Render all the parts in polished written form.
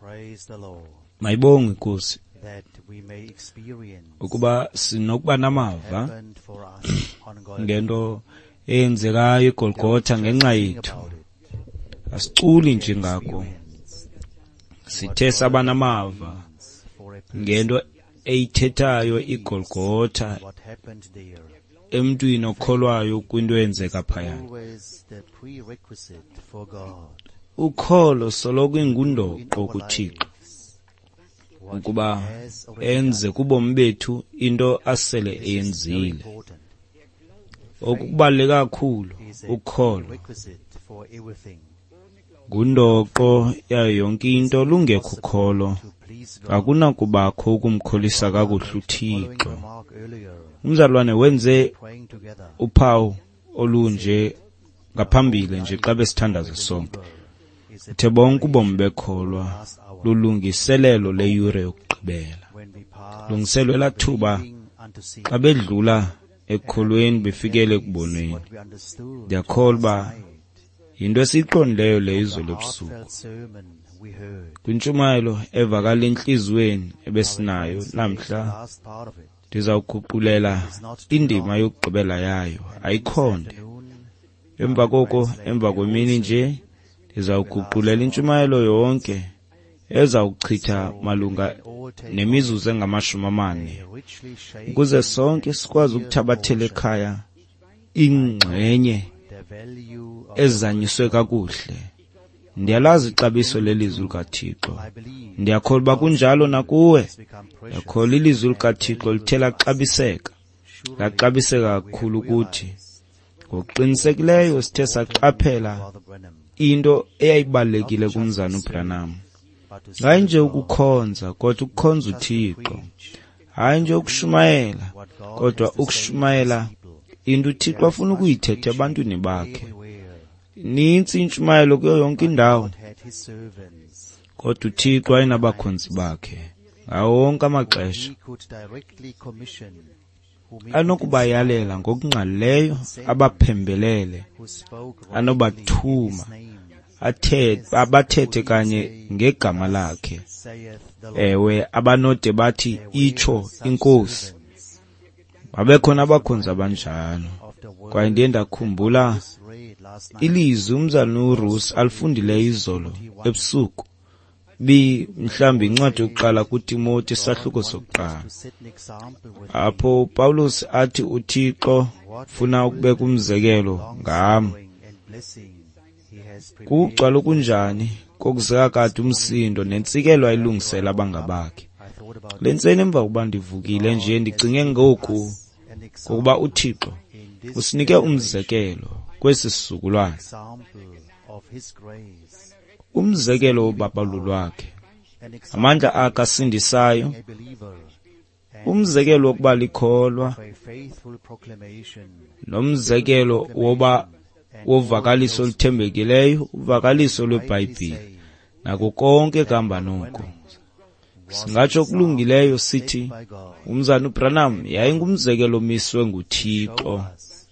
Praise the Lord. Mayibongwe iNkosi That we may experience ukuba sinokuba namava happened for us on Golgotha. ngento eyenzekayo eGolgotha ngenxa Sing yethu. about it. Asiculi nje ngako, Experience sithe saba namava for a person ngento eyithethayo iGolgotha what happened there. emntwini okholwayo kwinto eyenzeka phayana. Always the prerequisite for God Ukholo soloko in ingundoqo our kuThixo lives. What ukuba He has already enze done. kubomi bethu into asele This is very eyenzile. important. Oku kubaluleke kakhulu, Is a ukholo prerequisite for everything. ngundoqo yayo yonke into. Lungekho ukholo To please God. akunakubakho ukumkholisa kakuhle Following uThixo. remark earlier, Umzalwane wenze praying together. uphawu olunje ngaphambili nje xa besithandaza sonke. Is a Uthe bonke ubomi bekholwa last hour lulungiselelo leyure yokugqibela. when we pass Lungiselwe elaa thuba believing unto seeing. xa bedlula ekukholweni befikele ekubonweni. What we understood Ndiyakholwa uba last night, yinto esiyiqondileyo leyo the izolo ebusuku. heartfelt sermon we heard. Kwintshumayelo evakala entliziyweni ebesinayo namhla, Last part of it. ndizawuguqulela indima yokugqibela yayo, ayikhonde. Afternoon, Emva koko, emva kwemini nje, ndizawuguqulela intshumayelo yonke ezawuchitha malunga all take nemizuzu engama-40, a richly shaped ukuze sonke sikwazi ukuthabathela ekhaya ingxenye the value of ezanyiswe kakuhle. Ndiyalazi ixabiso lelizwi likaThixo. I believe Ndiyakholwa uba kunjalo nakuwe. has become precious. Ndiyakholwa ilizwi likaThixo lithe laxabiseka, laxabiseka kakhulu kuthi. Ngokuqinisekileyo sithe saqaphela Brother Branham, into eyayibalulekile kumzana uBranham. but to Hayi nje ukukhonza, kodwa ukukhonza uThixo. preach Hayi nje ukushumayela, what God kodwa has to say to his ukushumayela people into uThixo afuna ukuyithetha ebantwini bakhe. everywhere. Nintsi intshumayelo kuyo yonke indawo, God had his servants. kodwa uThixo wayenabakhonzi bakhe ngawo wonke amaxesha. He could directly commission whom he could Anokubayalela ngokungqalileyo abaphembelele, who spoke rightly in anobathuma his name, abathethe kanye ngegama lakhe. saith the Lord. Ewe, abanode bathi itsho inkosi. Servants Babekhona abakhonzi abanjalo. of the word Kwaye ndiye ndakhumbula was read last night. ilizwi umzalwane uRusi alifundileyo izolo ebusuku. Bi mhlawumbi incwadi yokuqala kuTimoti isahluko sokuqala. To set an example with Apho uPawulos athi uThixo ufuna ukubeka umzekelo ngam. suffering and blessing he has prepared. Kugcwala okunjani kokuzeka kade umsindo nentsikelo ayilungisela abangabakhe. I thought about Le ntseni emva kokuba ndivukile nje ndicinge ngoku an example ngokuba uThixo in this usinike umzekelo kwesi sizukulwana, example of his grace, umzekelo wobabalo lwakhe, an example amandla akhe asindisayo, a believer and umzekelo wokuba likholwa of a faithful proclamation nomzekelo woba wovakaliso oluthembekileyo, uvakaliso lweBhayibhile say nako konke kuhamba noko. Singatsho okulungileyo sithi by God umzana uBranham yayingumzekelo omiswe nguThixo, us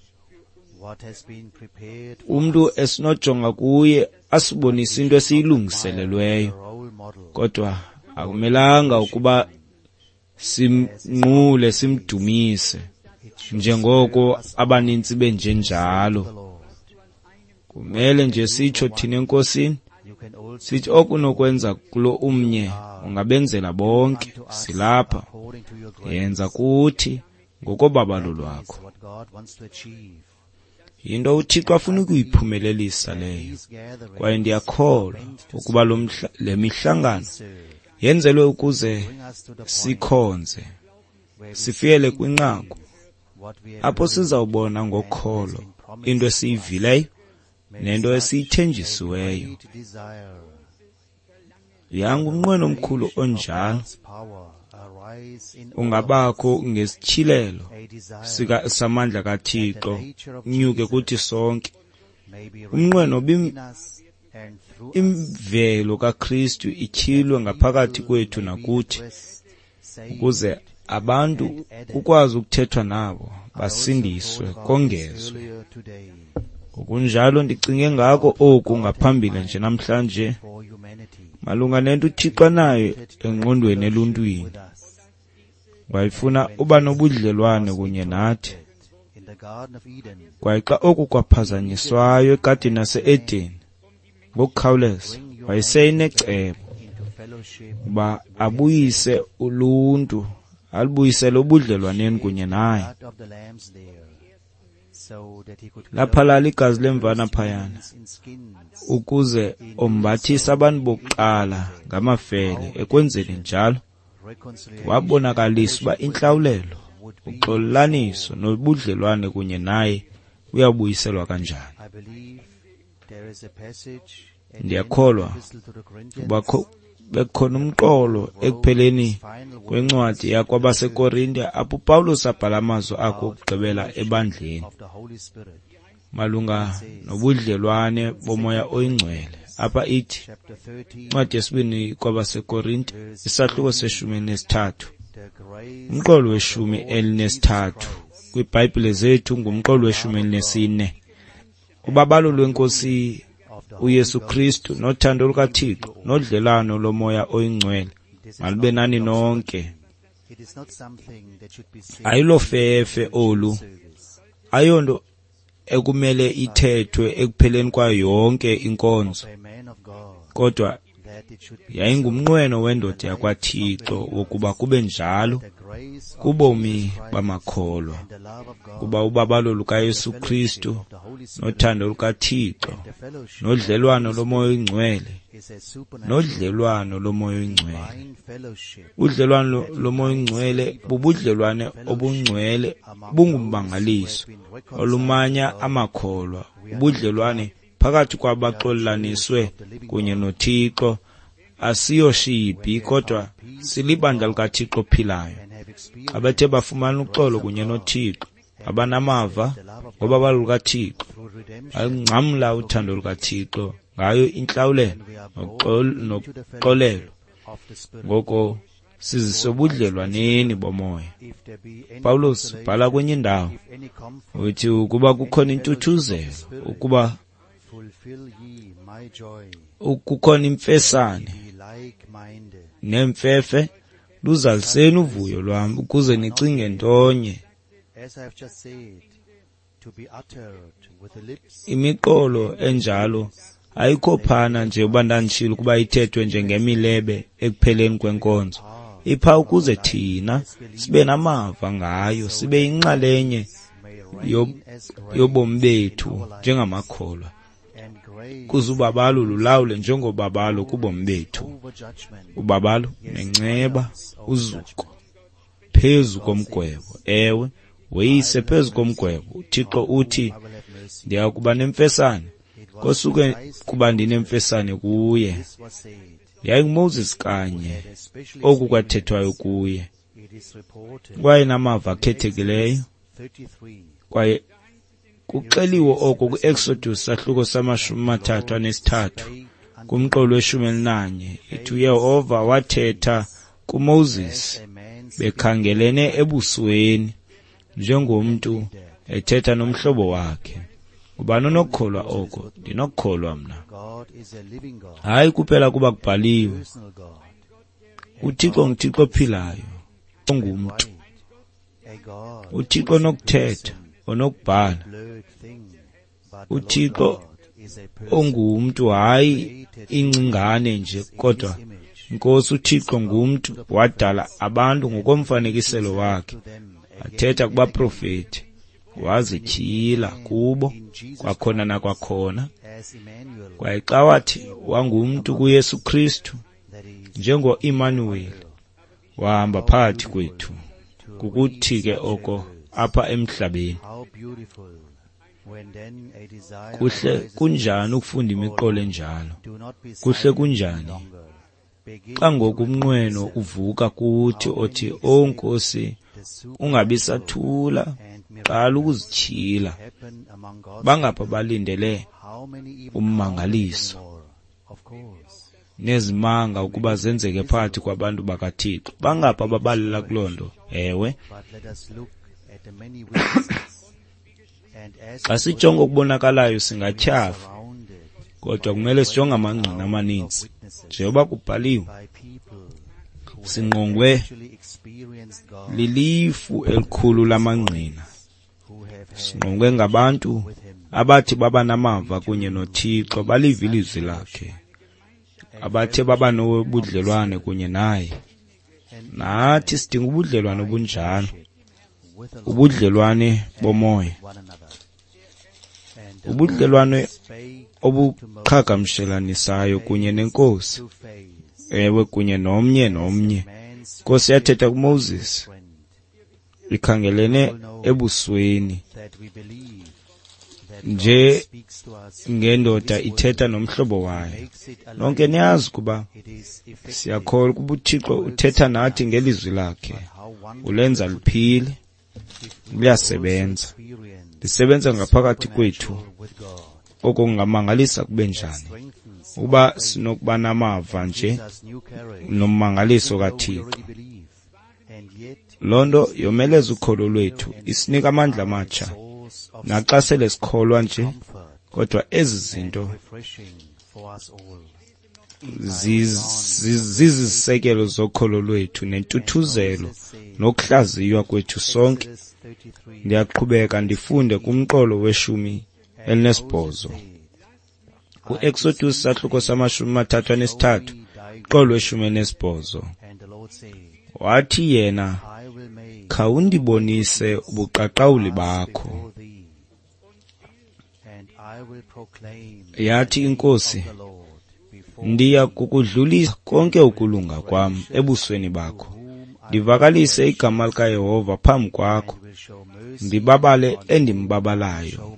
what has been prepared for umntu esinojonga kuye asibonise into esiyilungiselelweyo, a role model kodwa akumelanga ukuba simnqule simdumise njengoko abanintsi benjenjalo. the Lord. Kumele nje sitsho thina eNkosini You can also sithi okunokwenza kulo umnye ungabenzela bonke. Silapha, according to your grace yenza kuthi ngokobabalo lwakho. is what God wants to achieve. Yinto uThixo afuna ukuyiphumelelisa leyo. These gatherings Kwaye ndiyakholwa ukuba le mihlangano serve yenzelwe ukuze bring us to the point sikhonze, where we sifikele kwinqaku what we have apho sizawubona ngokholo into esiyivileyo nento esiyithenjisiweyo. great desire Yanga umnqweno omkhulu onjalo God's power arise in ungabakho ngesityhilelo a desire samandla kaThixo unyuke kuthi sonke. may be Umnqweno in us and through us imvelo kaKristu ityhilwe ngaphakathi kwethu nakuthi, rest saved ukuze abantu kukwazi ukuthethwa nabo basindiswe kongezwe. earlier today. Ngokunjalo ndicinge ngako oku ngaphambili nje namhlanje malunga nento uThixo anayo engqondweni eluntwini. Wayefuna uba nobudlelwane kunye nathi. Kwaye xa oku kwaphazanyiswayo egadini yase-Edeni, ngokukhawuleza wayesenecebo uba abuyise uluntu, alubuyisele ubudlelwaneni kunye naye. Laphalala igazi lemvana phayana ukuze ombathise abantu bokuqala ngamafele. Ekwenzeni njalo wabonakalisa uba intlawulelo, uxolelaniso nobudlelwane kunye naye uyabuyiselwa kanjani. Ndiyakholwa uba bekhona umqolo ekupheleni kwencwadi yakwabaseKorinte apho uPawulos abhala amazwi akhe okugqibela ebandleni malunga nobudlelwane bomoya oyingcwele. Apha ithi incwadi yesibini kwabaseKorinte isahluko se-13, umqolo we-13 kwiBhayibhile zethu ngumqolo we-14. Ubabalo lweNkosi uYesu Kristu nothando lukaThixo nodlelwano lomoya oyingcwele malube nani nonke. Ayilofefe olu, ayonto ekumele ithethwe ekupheleni kwayo yonke inkonzo, kodwa yayingumnqweno wendoda yakwaThixo wokuba kube njalo kubomi bamakholwa, kuba ubabalo lukaYesu Kristu nothando lukaThixo nodlelwano lomoya oyingcwele, nodlelwano lomoya oyingcwele. Udlelwano lomoya oyingcwele bubudlelwane obungcwele bungummangaliso olumanya amakholwa, ubudlelwane phakathi kwabaxolelaniswe kunye noThixo. Asiyoshibhi kodwa silibandla likaThixo ophilayo. Xa bethe bafumana uxolo kunye noThixo, abanamava ngobabalo lukaThixo, bangcamla uthando lukaThixo ngayo intlawulelo noxolelo. Ngoko siziswe ebudlelwaneni bomoya. Pawulos ubhala kwenye indawo uthi ukuba kukhona intuthuzelo, ukuba kukhona imfesane nemfefe, luzaliseni uvuyo lwam ukuze nicinge ntonye. Imiqolo enjalo ayikho phana nje uba ndanditshilo ukuba ithethwe njengemilebe ekupheleni kwenkonzo. Ipha ukuze thina sibe namava ngayo, sibe yinxalenye yobomi bethu njengamakholwa, kuze ubabalo lulawule njengobabalo kubomi bethu. Ubabalo nenceba, uzuko phezu komgwebo. Ewe, weyise phezu komgwebo. uThixo uthi ndiya kuba nemfesane kosuke kuba ndinemfesane kuye. YayinguMoses kanye oku kwathethwayo kuye, kwaye namava akhethekileyo. Kwaye kuxeliwe oko ku-Exodus sahluko sama-33 kumqolo we-11. Ithi uYehova wathetha kuMoses bekhangelene ebusweni njengomntu ethetha nomhlobo wakhe. Ubani onokukholwa oko? Ndinokukholwa mna. Hayi kuphela kuba kubhaliwe. uThixo nguThixo ophilayo, ongumntu. uThixo onokuthetha, onokubhala. uThixo ongumntu, hayi ingcingane nje, kodwa iNkosi uThixo ngumntu, wadala abantu ngokomfanekiselo wakhe, athetha kubaprofeti, wazityhila kubo kwakhona nakwakhona. Kwaye xa wathi wangumntu kuYesu Kristu njengo-Immanuel, wahamba phakathi kwethu. Kukuthi ke oko apha emhlabeni. Kuhle kunjani ukufunda imiqolo enjalo? Kuhle kunjani xa ngoku umnqweno uvuka kuthi othi, "O Nkosi, ungabi sathula, qala ukuzityhila." Bangapha balindele ummangaliso nezimanga ukuba zenzeke phakathi kwabantu bakaThixo. Bangapha ababalela kuloo nto? Ewe. Xa sijonga okubonakalayo singatyhafa, kodwa kumele sijonge amangqina amaninzi. Njengoba kubhaliwe, singqongwe lilifu elikhulu lamangqina. Singqongwe ngabantu abathi baba namava kunye noThixo, baliva ilizwi lakhe, abathe baba nobudlelwane kunye naye. Nathi sidinga ubudlelwane obunjalo, ubudlelwane bomoya, ubudlelwane obuqhagamshelanisayo kunye neNkosi, ewe, kunye nomnye nomnye. Inkosi yathetha kuMoses ikhangelene ebusweni, nje ngendoda ithetha nomhlobo wayo. Nonke niyazi ukuba siyakholwa ukuba uThixo uthetha nathi ngelizwi lakhe, ulenza liphile, liyasebenza, lisebenza ngaphakathi kwethu. Oko kungamangalisa kube njani ukuba sinokuba namava nje nommangaliso kaThixo. Loo nto yomeleza ukholo lwethu, isinika amandla amatsha. Naxa sele sikholwa nje, kodwa ezi zinto zizisekelo zokholo lwethu nentuthuzelo nokuhlaziywa kwethu sonke. Ndiyaqhubeka ndifunde kumqolo we-18, ku-Exodus sahluko sama-33, mqolo we-18. Wathi yena, khawundibonise ubuqaqawuli bakho. Yathi iNkosi, ndiya kukudlulisa konke ukulunga kwam ebusweni bakho, ndivakalise igama likaYehova phambi kwakho, ndibabale endimbabalayo,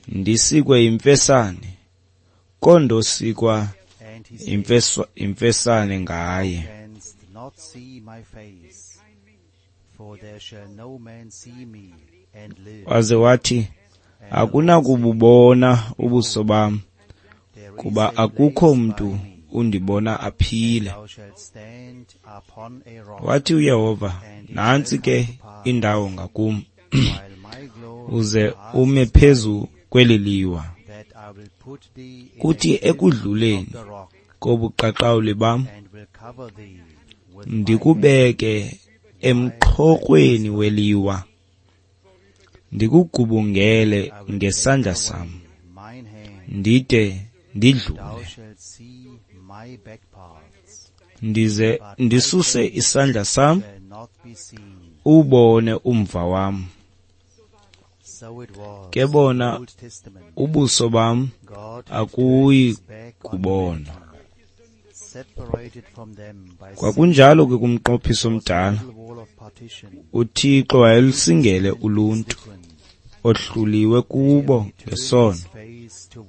ndisikwe yimfesane, kondosikwa imfesane ngaye. Waze wathi, akunakububona ubuso bam, kuba akukho mntu undibona aphile. Wathi uYehova, nantsi ke indawo ngakum, uze ume phezu kweli liwa. Kuthi ekudluleni kobuqaqawuli bam, ndikubeke emqhokrweni weliwa, ndikugubungele ngesandla sam, ndide ndidlule. Ndize ndisuse isandla sam, ubone umva wam. Ke bona ubuso bam akuyi kubona. Kwakunjalo ke kumnqophiso omdala, uThixo wayelusingele uluntu ohluliwe kubo ngesono.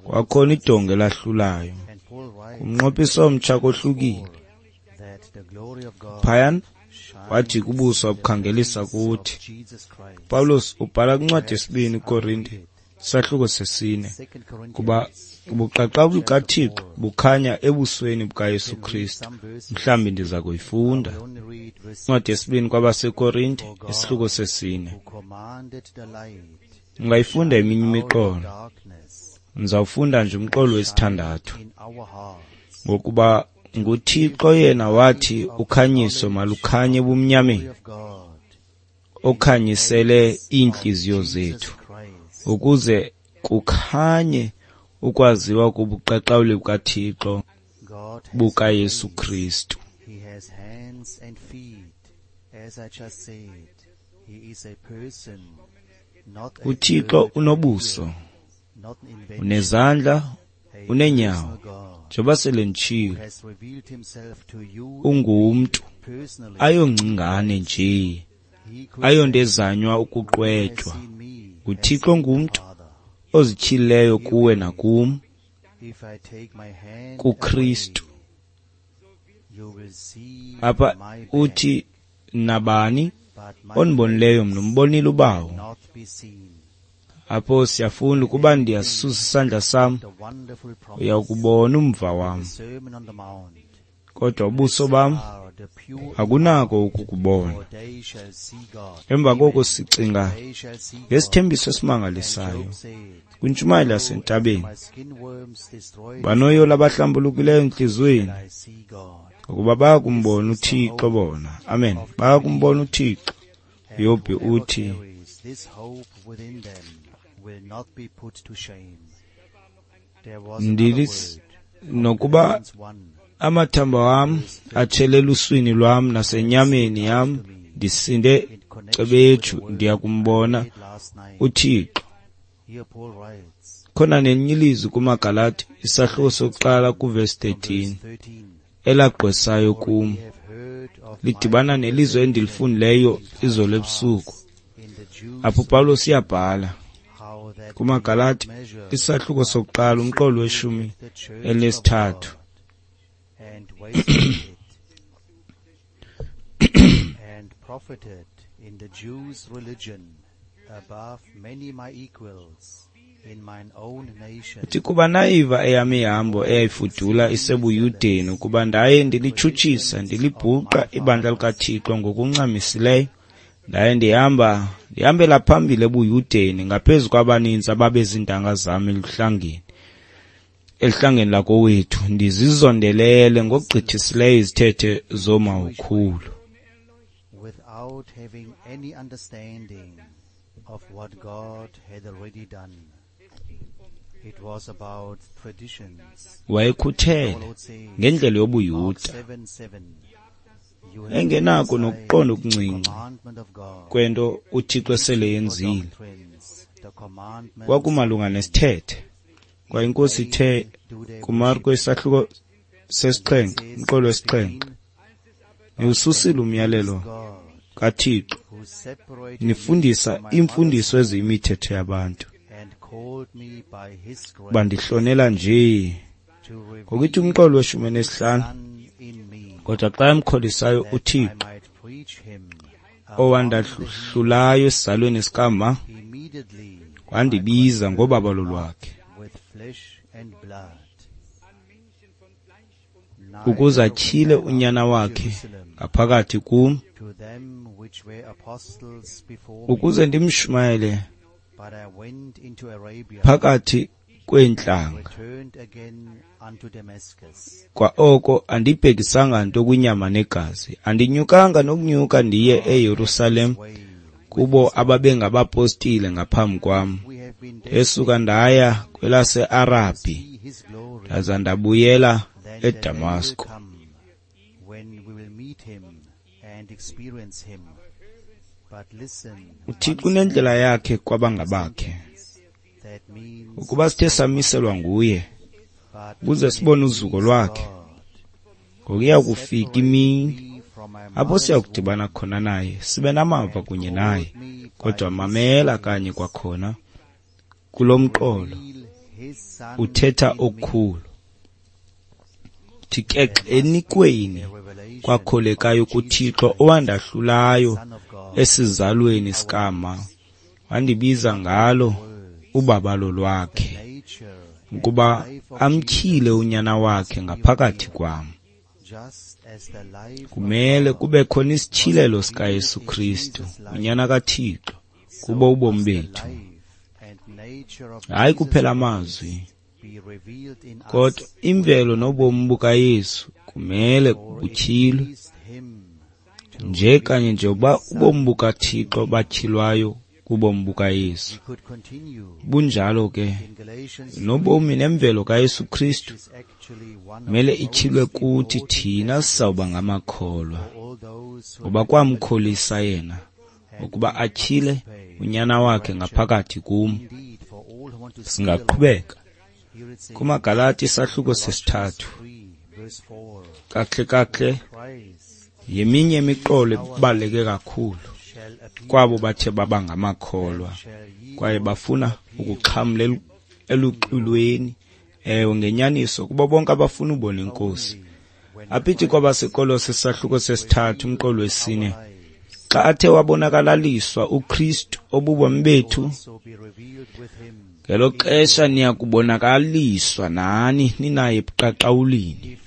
Kwakhona idonga elahlulayo. Kumnqophiso omtsha kohlukile. Phayana wathi kubuso abukhangelisa kuthi. Pawulos ubhala kwincwadi yesibini Korinte sahluko 4, kuba ubuqaqawuli bukaThixo bukhanya ebusweni bukaYesu Kristu. Mhlawumbi ndiza kuyifunda. Incwadi yesibini kwabaseKorinte isahluko 4. Ungayifunda eminye imiqolo. Ndizawufunda nje umqolo wesithandathu. Ngokuba nguThixo yena wathi ukhanyiso malukhanye ebumnyameni, okhanyisele iintliziyo zethu, ukuze kukhanye ukwaziwa kobuqaqawuli bukaThixo bukaYesu Kristu. uThixo unobuso, unezandla, uneenyawo. Njengoba sele nditshilo, ungumntu, ayongcingane nje, ayonto ezanywa ukuqwetywa. UThixo ngumntu ozityhilileyo kuwe nakum kuKristu. Apha uthi, nabani ondibonileyo mna umbonile uBawo. Apho siyafunda ukuba ndiyasusa isandla sam, uyakubona umva wam. Kodwa ubuso bam akunako ukukubona. Emva koko sicinga ngesithembiso esimangalisayo kwintshumayelo yasentabeni. Banoyolo abahlambulukileyo entliziyweni, ngokuba bayakumbona uThixo bona. Amen. Bayakumbona uThixo. uYobhi uthi, nokuba amathambo wam atshele eluswini lwam nasenyameni yam, ndisinde cebetshu, ndiyakumbona uThixo. Khona nelinye ilizwi kumaGalati, isahluko sokuqala kuvesi 13, elagqwesayo kum, lidibana nelizwi endilifundileyo izolo ebusuku. Apho uPawulos uyabhala kumaGalati, isahluko sokuqala, umqolo weshumi elinesithathu. And profited in the Jews' religion above many my equals in mine own nation. Uthi, kuba nayiva eyam ihambo eyayifudula isebuYudeni, ukuba ndaye ndilitshutshisa ndilibhuqa ibandla likaThixo ngokuncamisileyo, ndaye ndihambela phambili ebuYudeni ngaphezu kwabaninzi ababezintanga zam eluhlangeni lakowethu, ndizizondelele ngokugqithisileyo izithethe zoomawukhulu. Without having any understanding of what God had already done. It was about traditions. Wayekhuthele ngendlela yobuYuda, engenako nokuqonda okuncinci kwento uThixo esele yenzile. Kwakumalunga nesithethe. Kwaye iNkosi ithe kuMarko isahluko sesixhenxe, umqolo wesixhenxe, niwususile umyalelo kaThixo, nifundisa iimfundiso eziyimithetho yabantu. Bandihlonela nje. Ngokuthi umqolo weshumi nesihlanu, kodwa xa emkholisayo uThixo, owandahlulayo esizalweni sikama, wandibiza ngobabalo lwakhe, ukuze atyhile unyana wakhe ngaphakathi kum, ukuze ndimshumayele phakathi kweentlanga. Kwa oko andibhekisanga nto kwinyama negazi, andinyukanga nokunyuka ndiye eYerusalem kubo ababengabapostile ngaphambi kwam. Esuka ndaya kwelase-Arabhi, ndaza ndabuyela eDamasko. UThixo unendlela yakhe kwabangabakhe. Ukuba sithe samiselwa nguye ukuze sibone uzuko lwakhe, ngokuya kufika imini apho siya kudibana khona naye, sibe namava kunye naye. Kodwa mamela kanye kwakhona kulo mqolo uthetha okukhulu. Uthi ke enikweni kwakholekayo kuThixo owandahlulayo esizalweni sikama, wandibiza ngalo ubabalo lwakhe, ukuba amtyhile unyana wakhe ngaphakathi kwam. Kumele kube khona isityhilelo sikaYesu Kristu, unyana kaThixo, kubo ubomi bethu. Hayi kuphela amazwi, kodwa imvelo nobomi bukaYesu kumele butyhilwe, nje kanye njengoba ubomi bukaThixo batyhilwayo kubomi bukaYesu. Bunjalo ke nobomi nemvelo kaYesu Kristu mele ityhilwe kuthi thina sizawuba ngamakholwa, ngoba kwamkholisa yena ukuba atyhile unyana wakhe ngaphakathi kum. Singaqhubeka kumaGalati isahluko sesithathu. Kahle kahle yeminye imiqolo ebaluleke kakhulu kwabo bathe baba ngamakholwa kwaye bafuna ukuxhamla eluxwilweni, ewe ngenyaniso kubo bonke abafuna ubona iNkosi. Aphithi kwabaseKolose isahluko sesithathu umqolo wesine, xa athe wabonakalaliswa uKristu obubomi bethu, Ngelo xesha niya kubonakaliswa nani ninaye ebuqaqawulini.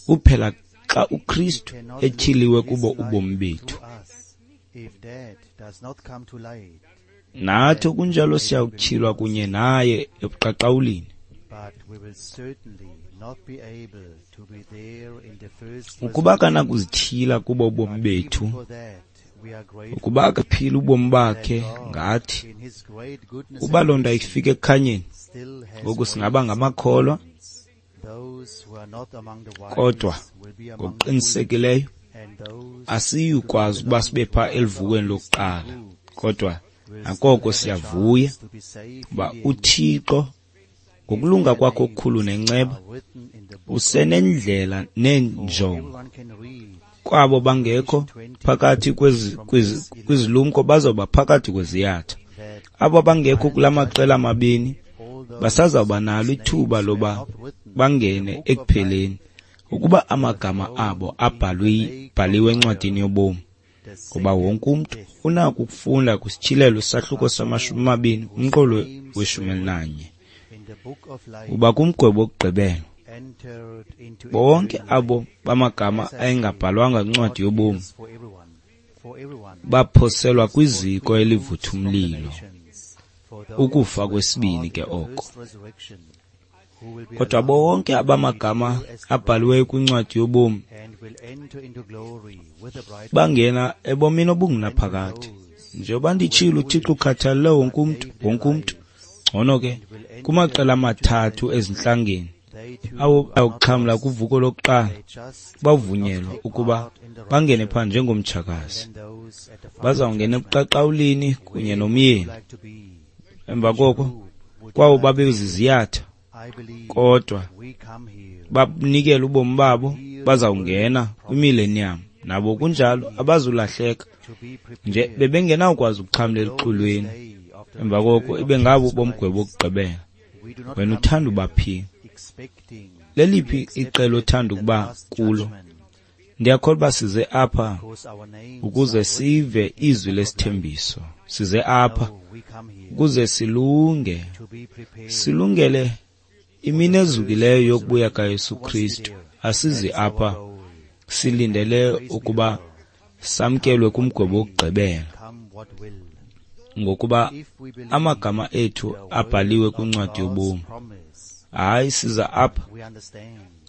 Kuphela xa uKristu etyhiliwe kubo ubomi bethu, nathi okunjalo siyakutyhilwa kunye naye ebuqaqawulini. Ukuba akanakuzityhila kubo ubomi bethu, ukuba akaphila ubomi bakhe ngathi, uba loo nto ayifika ekukhanyeni, ngoku singaba ngamakholwa, kodwa ngokuqinisekileyo asiyukwazi ukuba sibe phaa eluvukweni lokuqala. Kodwa nakoko siyavuya uba uThixo ngokulunga kwakhe okukhulu nenceba usenendlela neenjongo. Kwabo bangekho phakathi kwizilumko bazawuba phakathi kweziyatha. Abo bangekho kula maqela mabini basazawuba nalo ithuba loba bangene ekupheleni, ukuba amagama abo abhaliwe encwadini yobomi. Ngoba wonke umntu unako ukufunda kwisityhilelo isahluko sama-20 umqolo we-11, uba kumgwebo wokugqibela bonke abo bamagama ayengabhalwanga kwincwadi yobomi baphoselwa kwiziko elivutha umlilo, ukufa kwesibini ke oko. Kodwa bonke abamagama abhaliweyo kwincwadi yobomi bangena ebomini obungunaphakade. Njengoba nditshilo, uThixo ukhathalele wonke umntu, wonke umntu. Ngcono ke kumaqela amathathu ezintlangeni awo ayawuxhamla kuvuko lokuqala, bavunyelwa ukuba bangene phaa njengomtshakazi. Bazawungena ebuqaqawulini kunye nomyeni. Emva koko kwawo babeziziyatha, kodwa banikela ubomi babo, bazawungena kwimileniyam. Nabo kunjalo abazulahleka nje, bebengenawukwazi ukuxhamla eluxulweni. Emva koko ibe ngabo bomgwebo wokugqibela. Wena uthanda uba phi? Leliphi iqela othanda ukuba kulo? Ndiyakholwa uba size apha ukuze sive izwi lesithembiso. Size apha ukuze silunge, silungele imini ezukileyo yokubuya kaYesu Kristu. Asizi apha silindele ukuba samkelwe kumgwebo wokugqibela, ngokuba amagama ethu abhaliwe kwincwadi yobomi. Hayi, siza apha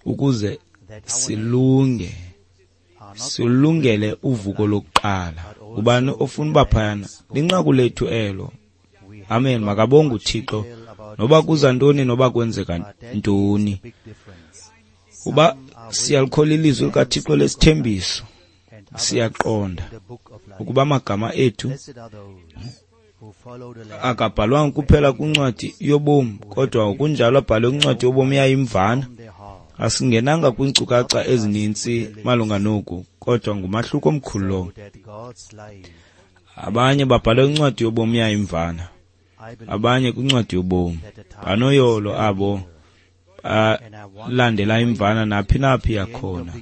ukuze silunge, silungele uvuko lokuqala. Ubani ofuna uba phayana? Linqaku lethu elo. Amen. Makabonge uThixo, noba kuza ntoni, noba kwenzeka ntoni. Uba siyalikholwa ilizwi likaThixo lesithembiso, siyaqonda ukuba amagama ethu akabhalwanga kuphela kwincwadi yobomi, kodwa ngokunjalo abhalwe kwincwadi yobomi yayimvana. Asingenanga kwiinkcukacha ezininzi malunga noku, kodwa ngumahluko omkhulu lowo. Abanye babhalwe kwincwadi yobomi yayimvana, abanye kwincwadi yobomi. Banoyolo abo balandela imvana naphi naphi yakhona,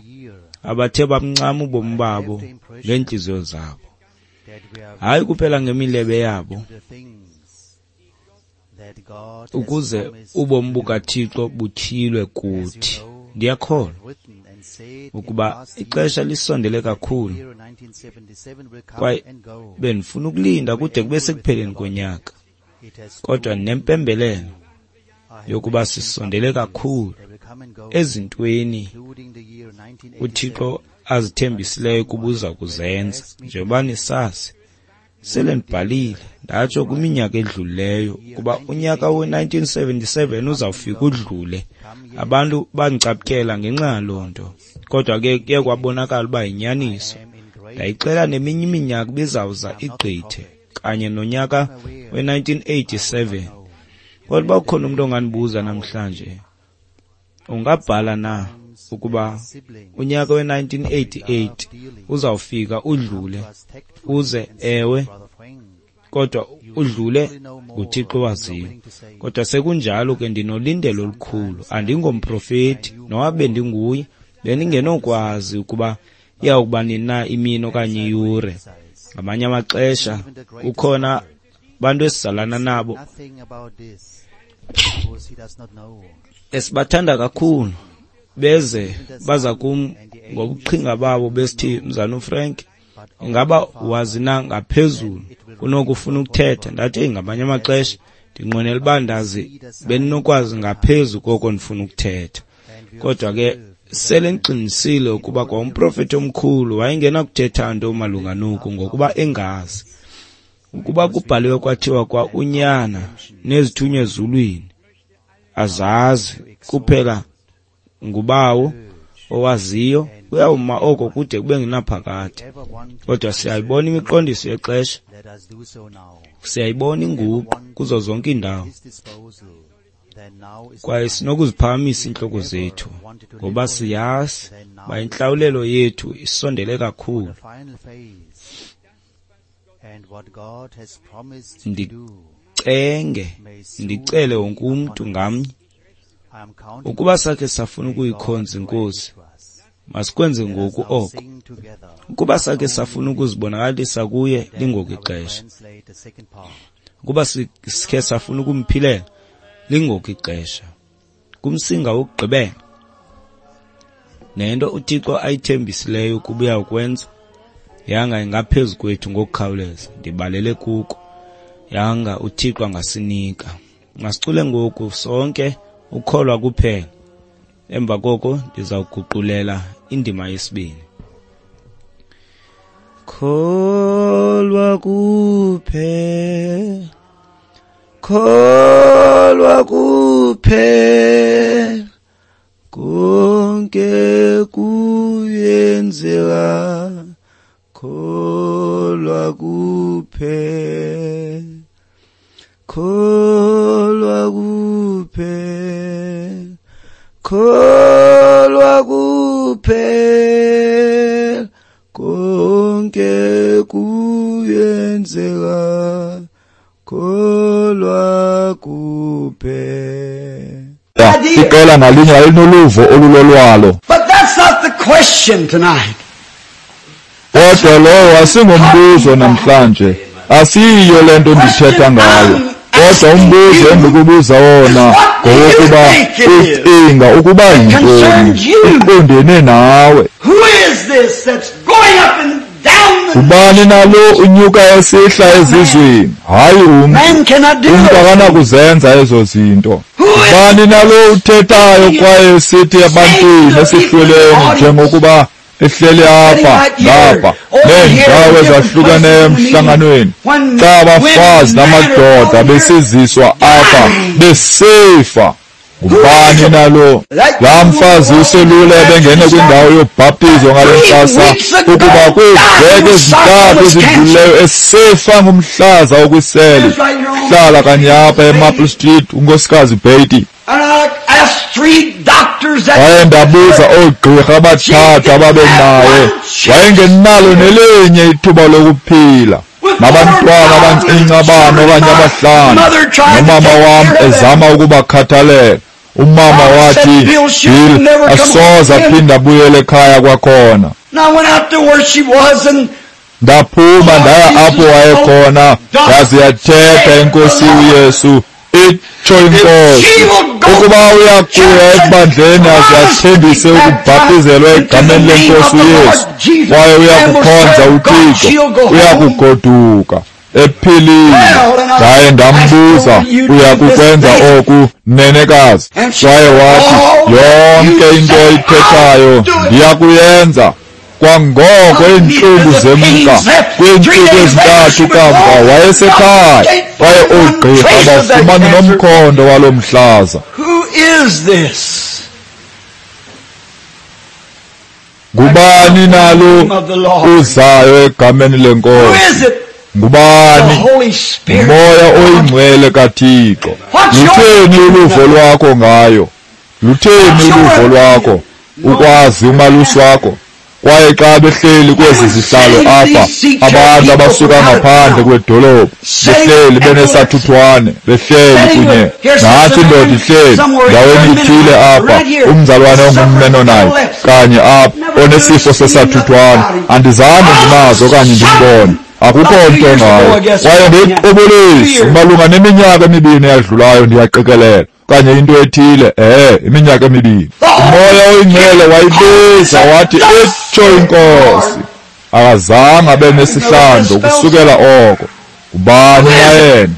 abathe bamncama ubomi babo ngeentliziyo zabo, hayi kuphela ngemilebe yabo, ukuze ubomi bukaThixo butyhilwe kuthi. Ndiyakholwa ukuba ixesha lisondele kakhulu, kwaye bendifuna ukulinda kude kube sekupheleni konyaka, kodwa nempembelelo yokuba sisondele kakhulu ezintweni uThixo azithembisileyo ukuba uza kuzenza. Njengoba nisazi, sele ndibhalile ndatsho kwiminyaka edlulileyo ukuba unyaka we-1977 uzawufika udlule. Abantu bandicaphukela ngenxa yaloo nto, kodwa ke kuye kwabonakala uba yinyaniso. Ndayixela neminye iminyaka ibizawuza igqithe kanye nonyaka we-1987. Kodwa uba ukhona umntu ongandibuza namhlanje, ungabhala na ukuba unyaka we-1988 uzawufika udlule, uze ewe, kodwa udlule nguThixo waziyo. Kodwa sekunjalo ke ndinolindelo olukhulu. Andingomprofeti, noba bendinguye, bendingenokwazi ukuba iyawukuba nini na imini okanye iyure. Ngamanye amaxesha kukhona abantu esizalana nabo esibathanda kakhulu, beze baza kum ngobuqhinga babo besithi, Mzalwana uFrank, ingaba wazi na ngaphezulu kunokufuna ukuthetha? Ndathi, ngamanye amaxesha ndinqwenela uba ndazi bendinokwazi ngaphezu koko ndifuna ukuthetha. Kodwa ke sele ndiqinisile ukuba kwa umprofeti omkhulu wayengenakuthetha nto malunga noku ngokuba engazi. Ukuba kubhaliwe kwathiwa kwa unyana nezithunywa ezulwini azazi, kuphela ngubawo owaziyo, kuyawuma oko kude kube ngunaphakade. Kodwa siyayibona imiqondiso yexesha, siyayibona inguqu kuzo zonke iindawo, kwaye sinokuziphakamisa iintloko zethu ngoba siyazi uba intlawulelo yethu isondele kakhulu. Ndicenge, ndicele wonke umntu ngamnye, ukuba sakhe safuna ukuyikhonza iNkosi, masikwenze ngoku oko. Ukuba sakhe safuna ukuzibonakalisa kuye, lingoku ixesha. Ukuba sikhe safuna ukumphilela, lingoku ixesha. Kumsinga wokugqibela, nento uThixo ayithembisileyo ukuba uyawukwenza, yanga ingaphezu kwethu ngokukhawuleza. Ndibalele kuko, yanga uThixo angasinika. Masicule ngoku sonke ukholwa kuphela. Emva koko ndizawuguqulela indima yesibini. Kholwa kuphela, kholwa kuphela, konke kuyenzeka, kholwa kuphela, kholwa kuphela, kholwa kuphela, konke kuyenzeka, kholwa kuphela. Iqela ngalinye lalinoluvo olulolwalo. But that's not the question tonight. Kodwa lowo asingombuzo namhlanje, asiyiyo le nto ndithetha ngayo. Kodwa umbuzo endikubuza wona ngowokuba ucinga ukuba yintoni iqondene nawe. Ubani nalo unyuka esihla ezizweni? Hayi umntu. Umntu akanakuzenza ezo zinto. Ubani nalo uthethayo kwaye esithi ebantwini esihlweleni njengokuba ehleli apha ngapha neendawo ezahlukeneyo emhlanganweni, xa abafazi namadoda besiziswa apha besifa? Ngubani nalo laa mfazi uselula ebengene kwindawo yobhaptizo ngale ntsasa, ukuba kwiiveki ezintathu ezidlulileyo esifa ngumhlaza okwiseli, hlala kanye apha eMaple Street, unkosikazi Beatty. Waye ndabuza oogqirha abathathu ababenaye, wayengenalo nelinye ithuba lokuphila, nabantwana abancinci abane okanye abahlanu, nomama wam ezama ukubakhathalela. Umama wathi, Bill, asoze aphinde abuyele ekhaya kwakhona. Ndaphuma ndaya apho wayekhona, yaze yathetha iNkosi uYesu, itsho iNkosi, ukuba uyakuya ebandleni aze athembise ukubhaptizelwa egameni leNkosi uYesu, kwaye uyakukhonza uThixo, uyakugoduka ephilile. Ndaye ndambuza, uyakukwenza oku, nenekazi? Kwaye wathi, yonke into oyithethayo ndiyakuyenza. Kwangoko iintlungu zemka. Kwiintsuku ezintathu kamva wayesekhaya, kwaye oogqirha bafumana nomkhondo waloo mhlaza. Ngubani nalo uzayo egameni leNkosi? Ngubani? Moya oyingcwele kaThixo. Lutheni uluvo lwakho ngayo? Lutheni uluvo lwakho ukwazi umalusi wakho? Kwaye xa behleli kwezi zihlalo apha, abantu abasuka ngaphandle kwedolophu behleli benesathuthwane, behleli kunye nathi indoda ihleli ndaweni ithile apha, umzalwane ongumMennonite kanye apha onesifo sesathuthwane, andizange ndimazi okanye ndimbone. Akukho nto ngayo. Kwaye ngequbuliso malunga neminyaka emibini eyadlulayo, ndiyaqikelela okanye into ethile, iminyaka emibini, uMoya oyiNgcwele wayibiza wathi, itsho iNkosi. Akazange abe nesihlandlo kusukela oko. Ngubani na yena?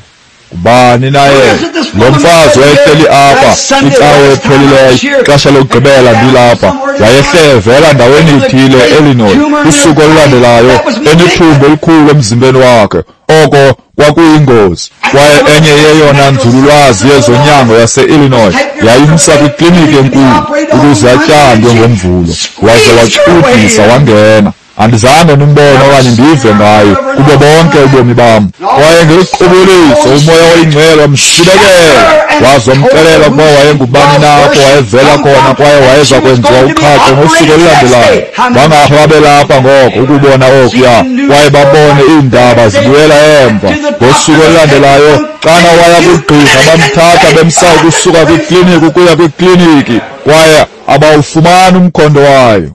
Ngubani na yena? Lo mfazi wayehleli apha icawe ephelileyo, ixesha lokugqibela ndilapha, wayehle evela ndaweni ithile eIllinois. Usuku olulandelayo enethumbu elikhulu emzimbeni wakhe. Oko kwakuyingozi. Kwaye enye yeyona nzululwazi yezonyango yase-Illinois yayimsa kwikliniki enkulu ukuze atyandwe ngoMvulo, waze wacudisa wangena. Andizange ndimbone okanye ndive ngaye kubo bonke ubomi bam. Kwaye ngequbuliso uMoya oyiNgcwele wamsibekela, waze wamxelela ukuba wayengubani na, apho wayevela khona, kwaye wayeza kwenziwa uqhaqho ngosuku olulandelayo. Bangapha babelapha ngoko ukubona okuya, kwaye babone iindaba zibuyela emva. Ngosuku olulandelayo xana waya kugqirha, bamthatha bemsa ukusuka kwikliniki ukuya kwikliniki, kwaye abawufumani umkhondo wayo.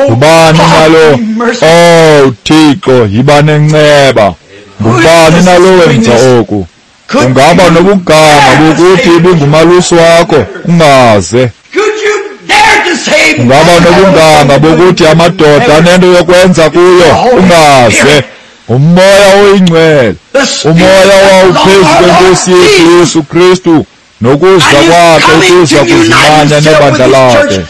Ngubani nalo? Oh Thixo, yiba nenceba. Ngubani nalo wenza oku? Ungaba nobuganga bokuthi ibingumalusi wakho, ungaze. Ungaba nobunganga bokuthi amadoda anento yokwenza kuyo, ungaze. UMoya oyiNgcwele, uMoya owawuphezu kweNkosi yethu Yesu Kristu, nokuza kwakhe ukuza kuzimanya nebandla lakhe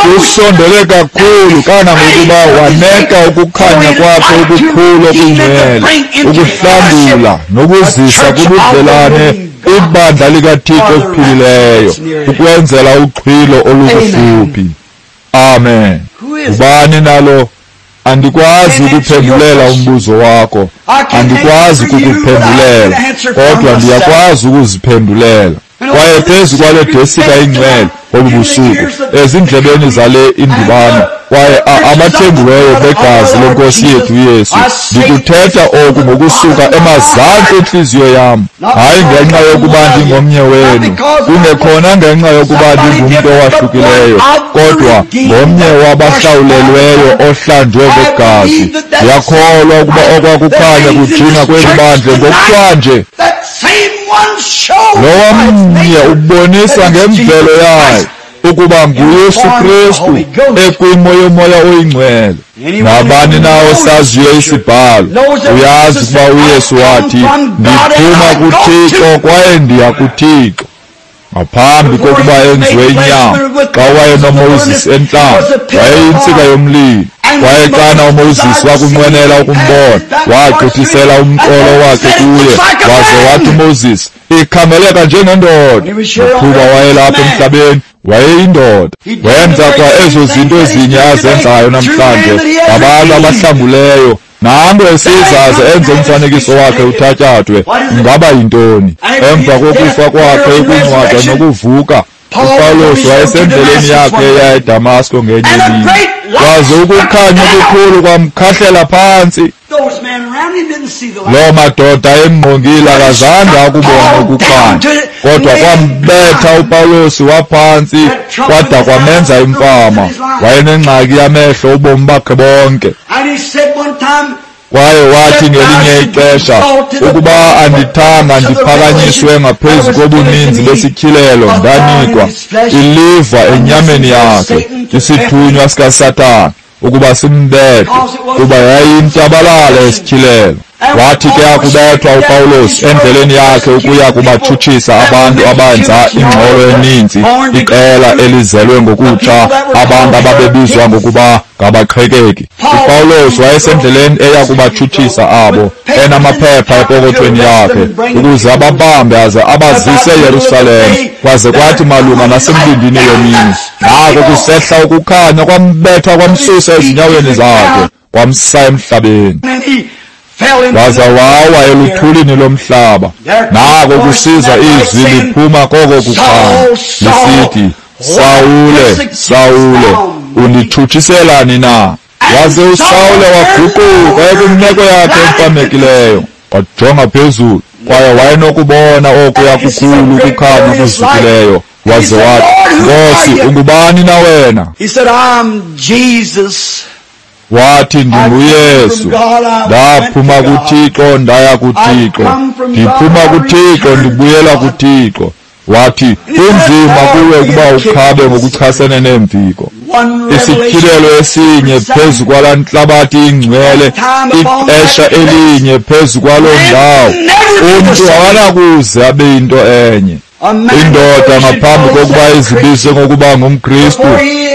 kusondele kakhulu kangangokuba waneka ukukhanya kwakhe okukhulu okungcwele ukuhlangula nokuzisa kubudlelane ibandla likaThixo ophilileyo ukwenzela uxhwilo olukufuphi. Amen. Ubani nalo? Andikwazi ukuphendulela umbuzo wakho, andikwazi ukukuphendulela, kodwa ndiyakwazi ukuziphendulela. Kwaye phezu kwale desika ingcwele ngobu busuku, ezindlebeni zale indibano, kwaye abathengiweyo begazi lenkosi yethu Yesu, ndikuthetha oku ngokusuka emazantsi entliziyo yam, hayi ngenxa yokuba ndingomnye wenu, kungekhona ngenxa yokuba ndingumntu owahlukileyo, kodwa ngomnye wabahlawulelweyo ohlanjwe ngegazi. Ndiyakholwa ukuba okwakukhanya kujinga kweli bandla ngokuhlwanje. Lowa mnye ubonisa ngemvelo yayo ukuba nguYesu Kristu ekwimo yoMoya oyiNgcwele. Nabani na osaziyo isibhalo uyazi ukuba uYesu wathi, ndiphuma kuThixo kwaye ndiya kuThixo. Ngaphambi kokuba enziwe inyama, xa wayenoMoses entlango, wayeyintsika yomlilo. Kwaye xana uMoses wakunqwenela ukumbona, wagqithisela umqolo wakhe kuye, waze wathi uMoses, ikhangeleka njengendoda. Qhuba wayelapha emhlabeni, wayeyindoda. Wenza kwa ezo zinto ezinye azenzayo namhlanje ngabantu abahlanguleyo. Nango esizaze enze umfanekiso wakhe uthatyathwe. Ingaba yintoni? Emva kokufa kwakhe, ukungcwatywa nokuvuka, uPawulos wayesendleleni yakhe eya eDamasko ngenye imini, kwaze ukukhanya okukhulu kwamkhahlela phantsi. Loo madoda emngqongile akazange akubona ukukhanya, kodwa kwambetha uPawulos waphantsi kwada kwamenza imfama. Wayenengxaki yamehlo ubomi bakhe bonke. Kwaye wathi ngelinye ixesha, ukuba andithanga ndiphakanyiswe ngaphezu kobuninzi besityhilelo ndanikwa iliva enyameni yakhe, isithunywa sikaSathana, ukuba simbethe, kuba yayintabalala esityhilelo. Wathi ke akubethwa uPawulos endleleni yakhe ukuya kubatshutshisa abantu abenza ingxolo eninzi, iqela elizelwe ngokutsha, abantu ababebizwa ngokuba ngabaqhekeki. uPawulos wayesendleleni eya kubatshutshisa abo, enamaphepha epokothweni yakhe, ukuze ababambe aze abazise eYerusalem. Kwaze kwathi malunga nasembindini yemini, nako kusehla ukukhanya kwambetha kwamsusa ezinyaweni zakhe, kwamsa emhlabeni. Waza wawa eluthulini lomhlaba. Nako kusiza izwi liphuma koko kukhanya lisithi, Sawule, Sawule, unditshutshiselani na? Waze uSawule waguquka ekwimeko yakhe emfamekileyo, wajonga phezulu, kwaye wayenokubona okuya kukhulu ukukhanya kuzukileyo. Waze wathi, Nkosi, ungubani na wena? Wathi, ndinguYesu, ndaphuma kuThixo ndaya kuThixo, ndiphuma kuThixo ndibuyela kuThixo. Wathi, kunzima kuwe ukuba ukhabe ngokuchasene neemviko. Isityhilelo esinye phezu kwalaa ntlabathi ingcwele, ixesha elinye phezu kwaloo ndawo, umntu akanakuze abe yinto enye. Indoda ngaphambi kokuba izibize ngokuba ngumKristu,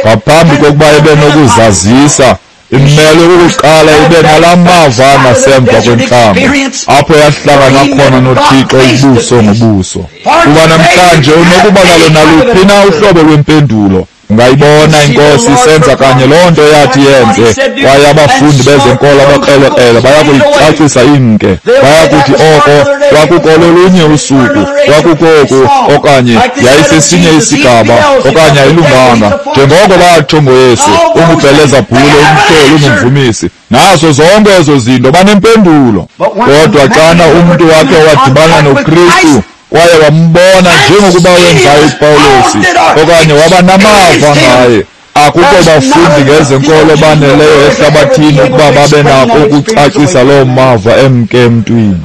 ngaphambi kokuba ibe nokuzazisa, imele ukuqala ibe nalaa mava angasemva kwentlambo, apho yahlangana khona noThixo ubuso ngobuso. Kuba namhlanje unokuba nalo naluphi na uhlobo lwempendulo. Ungayibona iNkosi isenza kanye loo nto yathi yenze, kwaye abafundi bezenkolo abakrelekrele bayakuyicacisa imke. Bayakuthi oko kwakukololunye usuku, kwakukoku, okanye yayisesinye isigaba, okanye ayilunganga. Njengoko batsho ngoYesu, unguBhelezabhule, umhloli, ungumvumisi. Nazo zonke ezo zinto banempendulo. Kodwa xana umntu wakhe wadibana noKristu, kwaye wambona njengokuba wenzayo uPawulosi, okanye waba namava ngaye, akukho bafundi ngezenkolo baneleyo ehlabathini ukuba babe nako ukucacisa loo mava emke emntwini.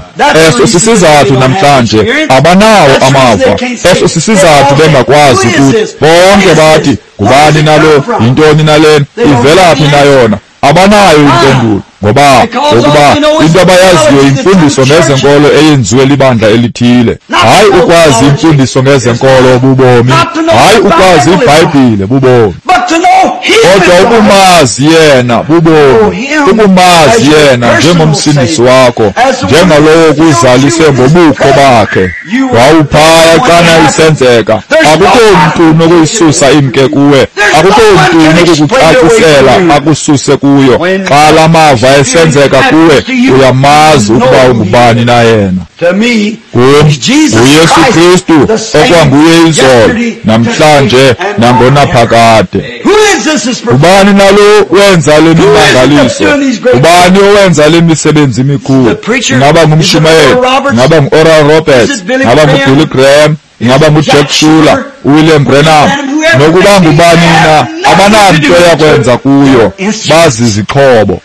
Eso sisizathu namhlanje abanawo amava. Eso sisizathu bengakwazi ukuthi bonke bathi, ngubani nalo, yintoni nalena, ivela phi na yona? Abanayo impendulo. Ngoba ngokuba into abayaziyo imfundiso ngezenkolo eyenziwe libandla elithile. Hayi ukwazi imfundiso ngezenkolo bubomi, hayi ukwazi iBhayibhile bubomi, kodwa ukumazi yena bubomi, ukumazi yena njengomsindisi wakho, njengalowo kuzalise ngobukho bakhe. Wawuphaya xana isenzeka. Akukho mntu unokuyisusa imke kuwe, akukho mntu unokukucacisela akususe kuyo. Xa la mava esenzeka kuwe, uyamazi ukuba ungubani na yena. Kum nguYesu Kristu okwanguye izolo, namhlanje, nangonaphakade. Ubani nalo wenza le mimangaliso? Ubani owenza le misebenzi imikhulu? Ingaba ngumshumayeli, ingaba ngu-Oral Roberts, ingaba nguBilly Graham, ingaba nguJack Schuler, uWilliam Branham, nokuba ngubani na, abananto yakwenza kuyo, bazizixhobo.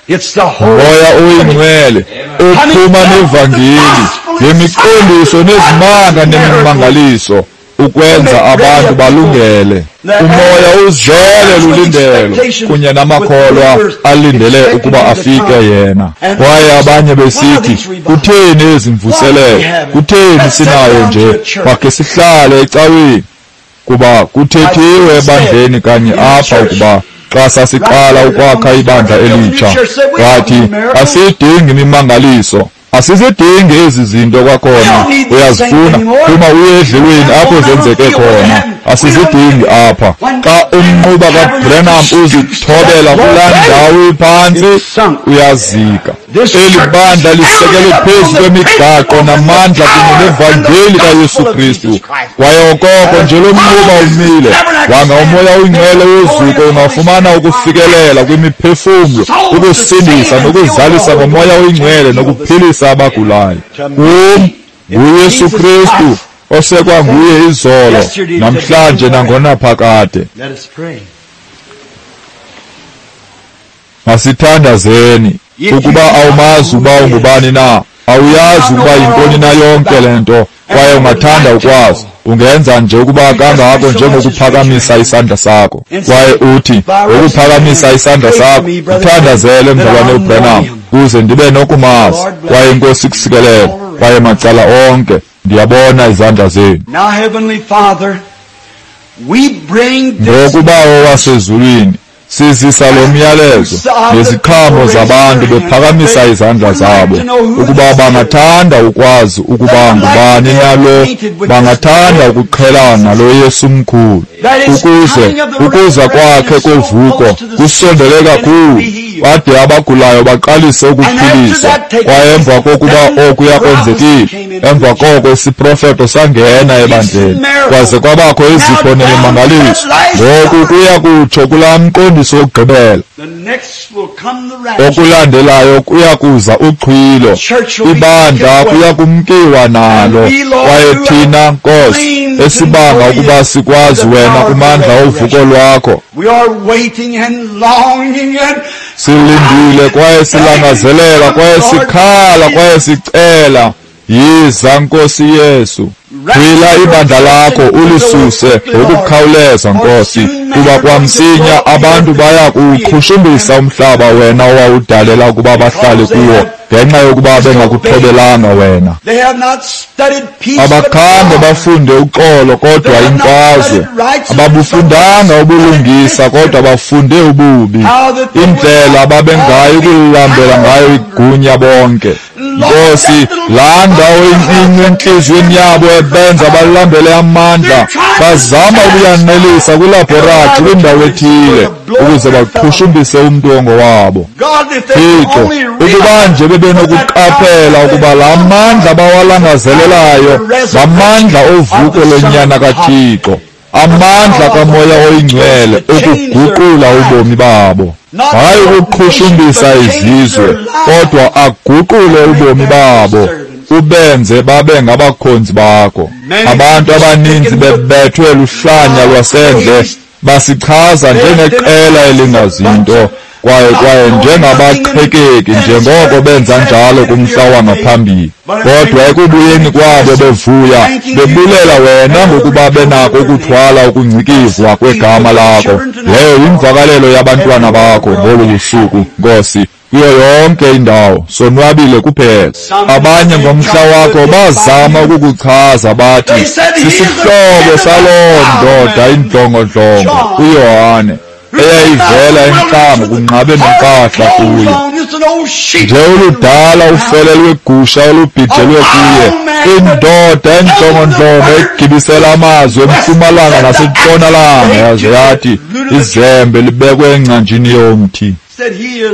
Umoya oyingcwele uphuma nevangeli ngemiqondiso nezimanga nemimangaliso ukwenza abantu balungele. Umoya uzele lulindelo kunye namakholwa alindele ukuba afike yena. Kwaye abanye besithi, kutheni ezi mvuselelo? Kutheni sinayo nje? Makhe sihlale ecaweni. Kuba kuthethiwe ebandleni kanye apha ukuba xa sasiqala ukwakha ibandla elitsha, wathi asidingi imimangaliso, asizidingi ezi zinto kwakhona. Uyazifuna, phuma uye edlelweni apho zenzeke khona. Asizidingi apha. Xa umnquba kaBranham uzithobela kulaa ndawo iphantsi, uyazika. Eli bandla lisekelwe phezu kwemigaqo namandla kunye nevangeli kaYesu Kristu. Kwaye okoko nje lo mnquba umile, wanga umoya oyingcwele wozuko ungafumana ukufikelela kwimiphefumlo, ukusindisa nokuzalisa ngomoya oyingcwele nokuphilisa abagulayo. Kum nguYesu Kristu osekwanguye izolo, namhlanje, nangonaphakade. Masithandazeni. Ukuba awumazi uba ungubani na, awuyazi ukuba yintoni na yonke le nto, kwaye ungathanda ukwazi, ungenza nje ukuba kangako njengokuphakamisa isandla sakho, kwaye uthi ngokuphakamisa isandla sakho, uthandazele mzalwane uBranham, kuze ndibe nokumazi. Kwaye iNkosi ikusikelele, kwaye macala onke ndiyabona izandla zenu. Ngokuba owasezulwini, sizisa lo myalezo neziqhamo zabantu bephakamisa izandla zabo, ukuba bangathanda ukwazi ukuba ngubani nalo, bangathanda ukuqhelana nalo Yesu mkhulu, ukuze ukuza kwakhe kovuko kusondele kakhulu, bade abagulayo baqalise ukuphiliswa. Kwaye emva kokuba okuya kwenzekile, emva koko isiprofeto sangena ebandleni, kwaze kwabakho izipho nemimangaliso. Ngoku kuya kutsho kulaa mqondiso wokugqibela. Okulandelayo kuya kuza uxhwilo, ibandla kuya kumkiwa nalo. Kwaye thina, Nkosi, esibanga ukuba sikwazi wena kumandla ovuko lwakho, Silindile kwaye silangazelela kwaye sikhala kwaye sicela, yiza Nkosi Yesu. Gwila ibandla lakho ulisuse ngokukhawuleza Nkosi, kuba kwamsinya abantu baya kuwuqhushumbisa umhlaba wena owawudalela ukuba bahlale kuwo, ngenxa yokuba bengakuthobelanga wena. Abakhange bafunde uxolo kodwa imfazwe, ababufundanga ubulungisa kodwa bafunde ububi, indlela ababengayi ukulilambela ngayo igunya bonke. Nkosi, laa ndawo incinci entliziyweni yabo ebenza balambele amandla, bazama ukuyanelisa kwilabhoratri kwindawo ethile ukuze baqhushumbise umntu ongowabo. Thixo, ukuba nje bebenokuqaphela ukuba laa mandla bawalangazelelayo ngamandla ovuko lonyana kaThixo, amandla kaMoya oyiNgcwele ukuguqula ubomi babo, hayi ukuqhushumbisa izizwe, kodwa aguqule ubomi babo, ubenze babe ngabakhonzi bakho. Abantu abaninzi bebethwe luhlanya lwasendle, basichaza njengeqela elingazinto, kwaye njengabaqhekeki, njengoko benza njalo kumhla wangaphambili. Kodwa ekubuyeni kwabo bevuya, bebulela wena ngokuba benako ukuthwala ukungcikivwa kwegama lakho. Leyo yimvakalelo yabantwana bakho ngobu busuku, Nkosi, kuyo yonke indawo, sonwabile kuphela. Abanye ngomhla wakho bazama ukukuchaza bathi, sisihlobo saloo ndoda indlongondlongo, uYohane, eyayivela entlango kunqabe nempahla kuye. Nje oludala ufele lwegusha olubhijelwe kuye, indoda endlongondlongo egibisela amazwi empumalanga nasentshonalanga, yaze yathi izembe libekwe engcanjini yomthi.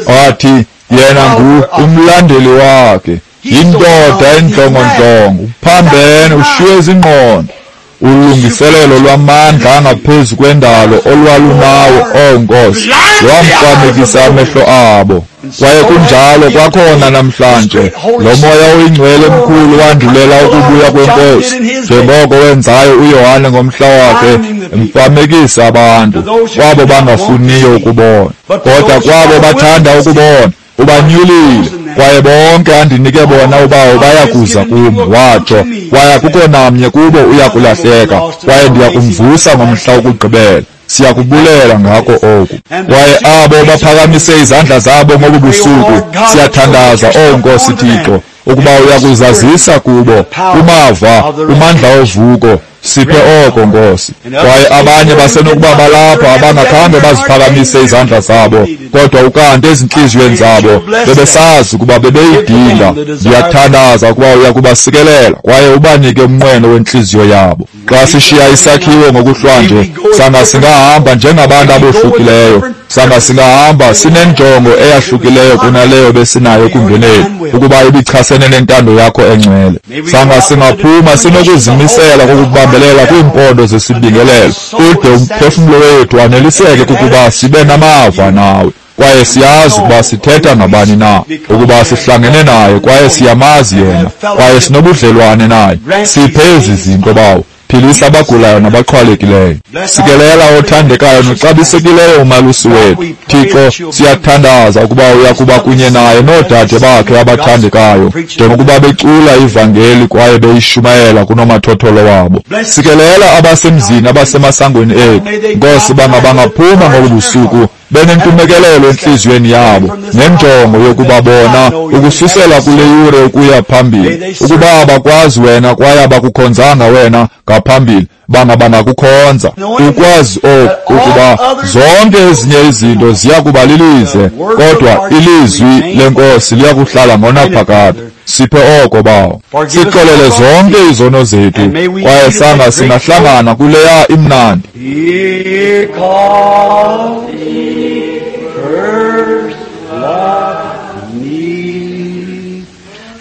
Wathi yena ngu umlandeli wakhe, yindoda endlongondlongo, uphambene, ushiye izingqondo. Ulungiselelo lwamandla angaphezu kwendalo olwalunawo, oh Nkosi, lwamfamekisa amehlo abo. Kwaye kunjalo kwakhona namhlanje, lo Moya oyiNgcwele mkhulu wandulela ukubuya kweNkosi, njengoko wenzayo uYohane ngomhla wakhe, emfamekisa abantu, kwabo bangafuniyo ukubona, kodwa kwabo bathanda ukubona, ubanyulile. Kwaye bonke andinike bona uBawo bayakuza kum, watsho, kwaye akukho namnye kubo uyakulahleka, kwaye ndiyakumvusa ngomhla wokugqibela. Siyakubulela ngako oku. Kwaye abo baphakamise izandla zabo ngobu busuku, siyathandaza, oh Nkosi Thixo, ukuba uyakuzazisa kubo kumava, kumandla ovuko. Siphe oko, Nkosi. Kwaye abanye basenokuba balapha abangakhange baziphakamise izandla zabo, kodwa ukanti ezintliziyweni zabo bebesazi ukuba bebeyidinga. Ndiyathandaza ukuba uyakubasikelela kwaye ubanike umnqweno wentliziyo yabo. Xa sishiya isakhiwo ngokuhlwanje, sanga singahamba njengabantu abohlukileyo, sanga singahamba sinenjongo eyahlukileyo kunaleyo besinayo ekungeneni, ukuba ibichasene nentando yakho engcwele. Sanga singaphuma sinokuzimisela kokubambelela kwiimpondo zesibingelelo, ude umphefumlo wethu aneliseke kukuba sibe namava nawe. Kwaye siyazi ukuba sithetha ngabani na, ukuba sihlangene naye kwaye siyamazi yena, kwaye sinobudlelwane naye. Siphe ezi zinto, Bawo. Philisa abagulayo nabaxhwalekileyo. Sikelela othandekayo noxabisekileyo umalusi wethu. Thixo, siyathandaza ukuba uyakuba kunye naye noodade bakhe abathandekayo, njengokuba becula ivangeli kwaye beyishumayela kunomathotholo wabo. Sikelela abasemzini abasemasangweni ethu. Nkosi, bangaphuma ngobu busuku benentumekelelo entliziyweni yabo, nenjongo yokuba bona ukususela kule yure ukuya phambili, ukuba abakwazi wena kwaye abakukhonzanga wena ngaphambili, bangakukhonza. Ukwazi oku, ukuba zonke ezinye izinto ziya kuba lilize, kodwa ilizwi leNkosi liyakuhlala ngonaphakade. Siphe oko, Bawo. Sixolele zonke izono zethu, kwaye sanga singahlangana kuleya imnandi.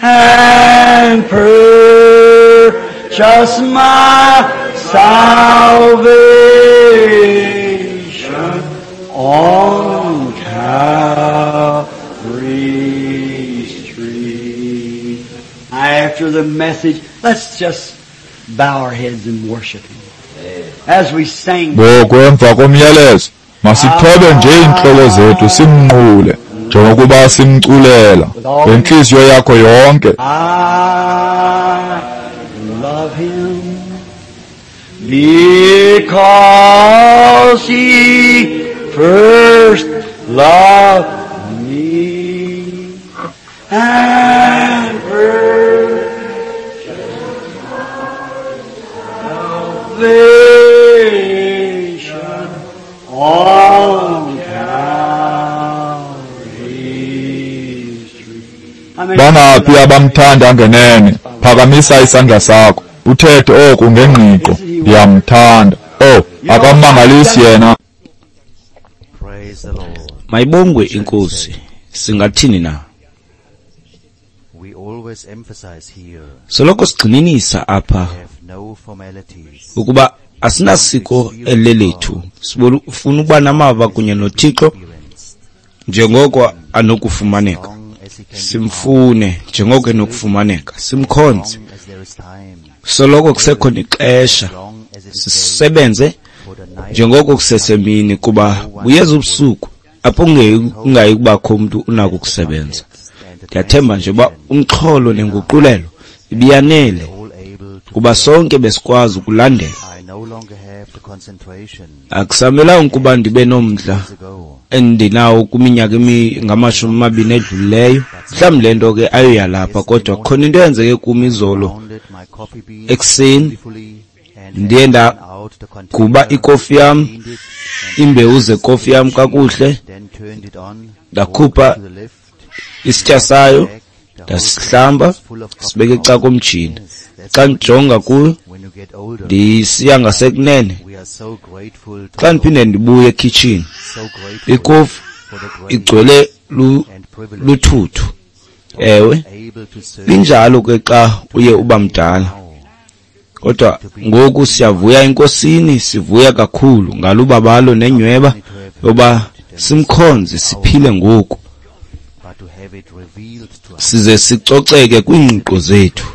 And purchase my salvation on Calvary's tree. After the message, let's just bow our heads and worship Him. As we sang. Ngoku emva komyalezo, masithobe nje iintloko zethu simnqule. Njengokuba simculela ngentliziyo yakho yonke. I love him because he first loved me and purchased salvation on Calvary's tree. Bangaphi abamthanda ngenene? Phakamisa isandla sakho, uthethe oku ngengqiqo, ndiyamthanda. Oh, akamangalisi yena. Praise the Lord. Mayibongwe inkosi. Singathini na? We always emphasize here Soloko sigxininisa apha have no formalities. ukuba asinasiko elilethu. Sifuna ukuba namava kunye noThixo Experienced. njengoko anokufumaneka. Long as he can be Simfune njengoko enokufumaneka. Simkhonze. long as there is time, Soloko kusekhona ixesha. long as it is day, Sisebenze for the night njengoko kusesemini kuba buyeza ubusuku apho kungayi kubakho umntu unako ukusebenza. and the Ndiyathemba nje uba umxholo nenguqulelo ibiyanele all able to kuba sonke besikwazi ukulandela. I no longer have the concentration Akusamelanga ukuba ndibe nomdla years ago. endinawo kwiminyaka ngama-20 edlulileyo. Mhlawumbi le nto ke ayoyalapha kodwa khona into eyenzeke kum izolo Pounded my coffee beans ekuseni beautifully and ndiye had taken out the ndaguba container, ikofi yam, cleaned it, and iimbewu zekofi yam kakuhle, then turned it on, ndakhupha walked to the left, isitya sayo, back, the whole ndasihlamba, was full of coffee sibeke grounds. eca komtshini. Yes, that's Xa what it ndijonga is kuyo when you get older. ndisiya ngasekunene. We are so grateful to Xa the ndiphinde Lord, ndibuye ekhitshini, so grateful ikofu for the grace igcwele and privilege luthuthu. to be Ewe, able to serve linjalo ke xa uye uba mdala. now. Kodwa ngoku siyavuya enkosini, sivuya kakhulu ngalubabalo nenyweba yoba simkhonze siphile ngoku, But to have it revealed to us. size sicoceke kwiingqiqo zethu.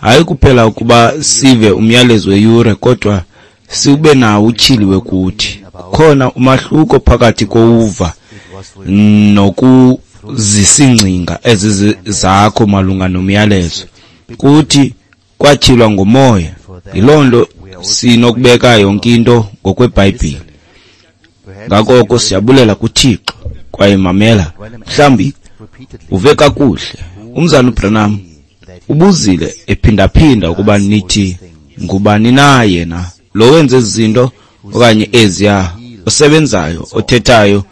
Hayi kuphela ukuba sive umyalezo weyure kodwa sibe nawo utyhiliwe kuthi. Kukhona umahluko phakathi kowuva It was revealed nokuzisingcinga ezi zakho malunga nomyalezo. Kuthi kwatyhilwa ngomoya. Yiloo nto sinokubeka yonke into ngokweBhayibhile. Perhaps Ngakoko siyabulela kuThixo kwaye mamela, mhlawumbi repeatedly uve kakuhle. Umzana uBranham that he ubuzile ephindaphinda ukuba nithi ngubani na yena lo wenza ezi zinto okanye eziya, osebenzayo, othethayo,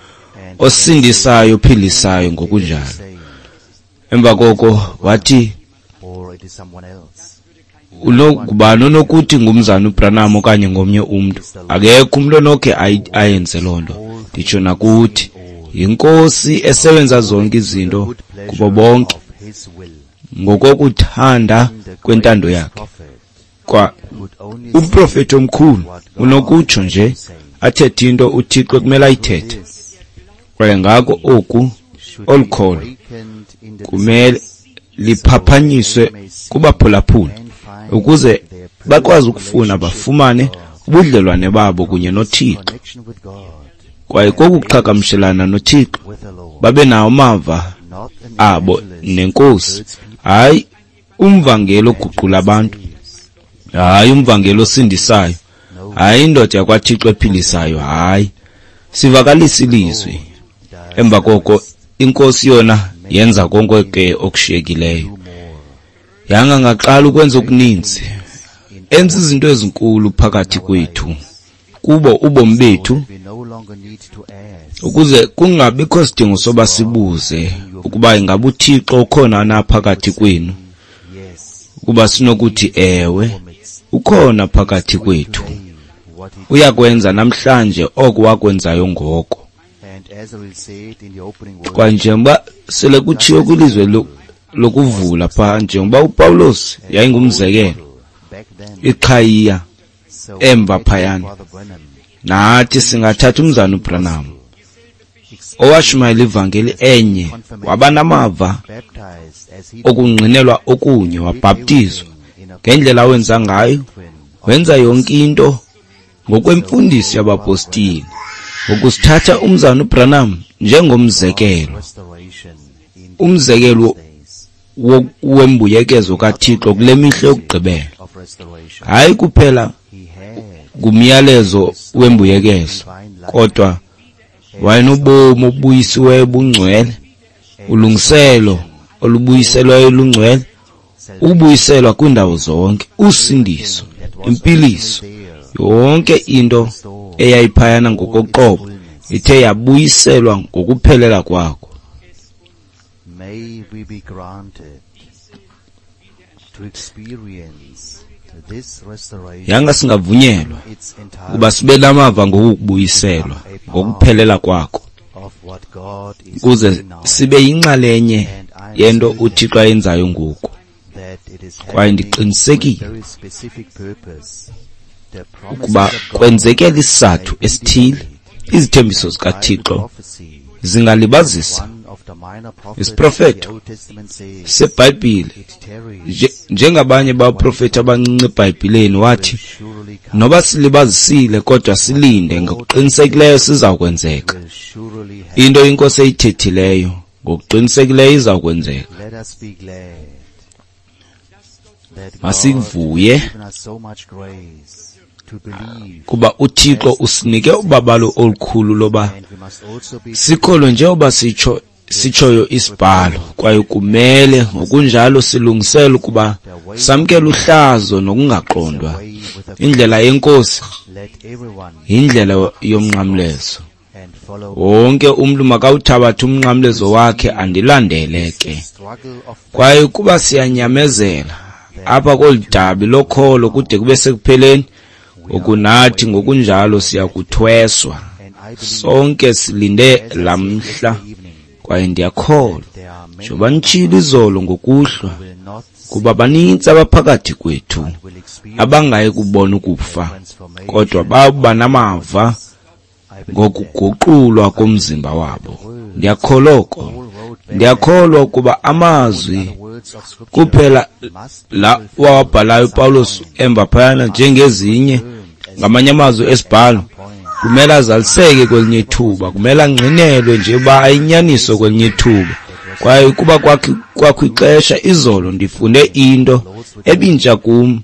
osindisayo, ophilisayo ngokunjalo. saying, Emva koko wathi or it is someone else. ngubani onokuthi ngumzana uBranham okanye ngomnye umntu? Akekho umntu onokhe ayenze loo nto. Nditsho nakuthi yinkosi esebenza zonke izinto Good pleasure kubo bonke of his will. ngokokuthanda The kwentando greatest yakhe. prophet Kwa could only umprofethi omkhulu unokutsho nje athethe into uThixo ekumele ayithethe. this Kwaye ngako oku should olu be kholo awakened in the kumele listeners liphaphanyiswe kubaphulaphuli and find ukuze their bakwazi personal ukufuna relationship bafumane with God, ubudlelwane babo kunye noThixo. connection with God, Kwaye kokuqhagamshelana noThixo with the Lord, babe nawo amava not an abo evangelist nenkosi. who hurts people, Hayi umvangeli oguqula abantu, saves. hayi umvangeli osindisayo, No, hayi indoda yakwaThixo ephilisayo, hayi. Sivakalisa ilizwi. does Emva koko inkosi yona yenza konke ke okushiyekileyo. do more. Yanga ngaqala ukwenza okuninzi, enza izinto ezinkulu phakathi kwethu, kubo ubomi bethu, We no longer need to ask ukuze kungabikho sidingo soba sibuze ukuba ingaba uThixo ukhona na phakathi kwenu, yes ukuba sinokuthi ewe, amidst ukhona phakathi kwethu. today what he Uyakwenza namhlanje oko wakwenzayo ngoko. and as I will say it in the opening word Kwa njengoba sele kutshiwo kwilizwe lokuvula pha, njengoba uPawulos yayingumzekelo, back then iqhayiya so emva let phayana. Father Branham Nathi singathatha umzana uBranham owashumayela ivangeli enye, waba namava baptized as he okungqinelwa okunye, wabhaptizwa ngendlela awenza ngayo, twin wenza yonke into ngokwemfundiso yabapostile. Ngokusithatha umzana uBranham njengomzekelo, umzekelo wembuyekezo kaThixo kule mihla yokugqibela. Hayi kuphela ngumyalezo wembuyekezo, kodwa wayenobomi obuyisiweyo bungcwele, ulungiselo olubuyiselweyo lungcwele, ukubuyiselwa kwiindawo zonke, usindiso, impiliso, yonke into eyayiphayana ngokoqobo ithe yabuyiselwa ngokuphelela kwakho. Yanga singavunyelwa ukuba sibe namava ngokubuyiselwa ngokuphelela kwakho, ukuze sibe yinxalenye yento uThixo ayenzayo ngoku. Kwaye ndiqinisekile ukuba kwenzekela isizathu esithile, izithembiso zikaThixo zingalibazisa. Isiprofeto seBhayibhile, njengabanye baprofeti abancinci eBhayibhileni, wathi noba silibazisile kodwa silinde, ngokuqinisekileyo siza kwenzeka. Into iNkosi eyithethileyo ngokuqinisekileyo iza kwenzeka. Masivuye kuba uThixo usinike ubabalo olukhulu loba sikholwe njengoba sitshoyo isibhalo, kwaye kumele ngokunjalo silungisele ukuba samkele uhlazo nokungaqondwa. Indlela yeNkosi yindlela yomnqamlezo. Wonke umntu makawuthabathe umnqamlezo wakhe andilandele ke. Kwaye kuba siyanyamezela apha kolu dabi lokholo kude kube sekupheleni, ngokunathi ngokunjalo siyakuthweswa. Sonke silinde laa mhla, kwaye ndiyakholwa njengoba nitshilo izolo ngokuhlwa, kuba banintsi abaphakathi kwethu abangayi kubona ukufa, kodwa bawuba namava ngokuguqulwa komzimba wabo. Ndiyakholwa oko. Ndiyakholwa ukuba amazwi kuphela la wawabhalayo uPawulos emva phayana, njengezinye ngamanye amazwi esibhalo, kumele azaliseke kwelinye ithuba, kumele angqinelwe nje uba ayinyaniso kwelinye ithuba. Kwaye kuba kwakho ixesha izolo ndifunde into ebintsha kum,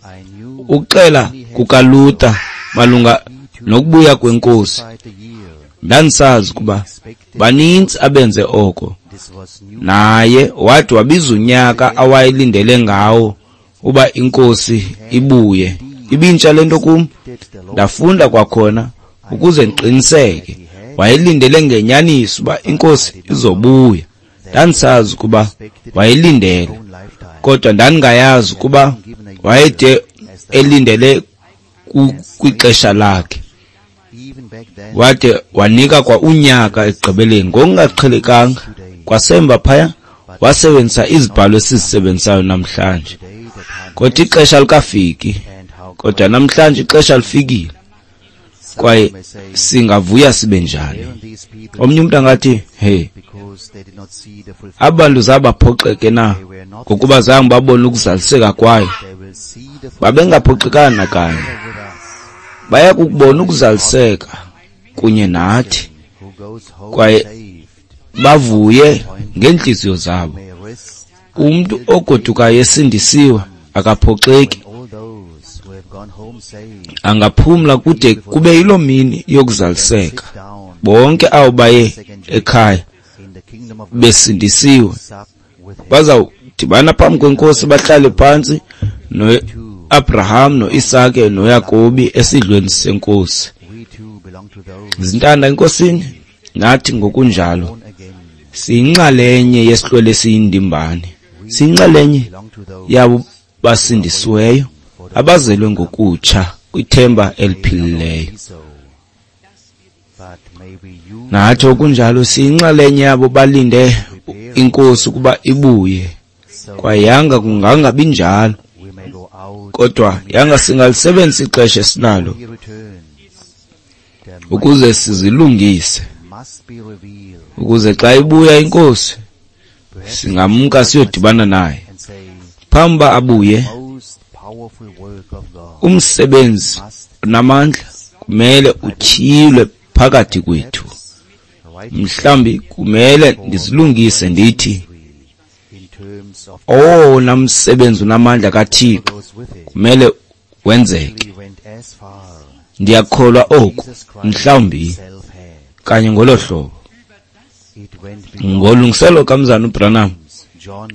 ukuxela kukaLuther malunga nokubuya kweNkosi. Ndandisazi ukuba banintsi abenze oko, naye wathi wabiza unyaka awayelindele ngawo uba iNkosi ibuye. Ibintsha le nto kum, ndafunda kwakhona ukuze ndiqiniseke. Wayelindele ngenyaniso uba iNkosi izobuya. Ndandisazi ukuba wayelindele, kodwa ndandingayazi ukuba wayede elindele kwixesha lakhe. Wade wanika kwa unyaka ekugqibeleni ngokungaqhelekanga. Kwasemva phaya wasebenzisa izibhalo esizisebenzisayo namhlanje, kodwa ixesha likafiki. Kodwa namhlanje ixesha lifikile, kwaye singavuya sibe njani. Omnye umntu angathi, hey, abantu zabaphoxeke na ngokuba zange babone ukuzaliseka kwayo? Babengaphoxekanga nakanye. Baya kukubona ukuzaliseka kunye nathi, kwaye bavuye ngeentliziyo zabo. Umntu ogodukayo esindisiwe akaphoxeki, angaphumla kude kube yiloo mini yokuzaliseka. Bonke abo baye ekhaya besindisiwe bazawudibana phambi kweNkosi, bahlale phantsi noAbraham noIsake noYakobi esidlweni seNkosi. Zintanda eNkosini, nathi ngokunjalo siyinxalenye yesihlwele esiyindimbane, siyinxalenye yabo basindisiweyo abazelwe ngokutsha kwithemba eliphilileyo. Nathi okunjalo siyinxalenye yabo balinde iNkosi ukuba ibuye. Kwaye yanga kungangabi njalo, kodwa yanga singalisebenzisa ixesha esinalo ukuze sizilungise, ukuze xa ibuya iNkosi singamka siyodibana naye. Phambi uba abuye, umsebenzi onamandla kumele utyhilwe phakathi kwethu. Mhlawumbi kumele ndizilungise ndithi owona msebenzi unamandla kaThixo kumele wenzeke. Ndiyakholwa oku, mhlawumbi kanye ngolo hlobo. Ngolungiselo kaMzana uBranham,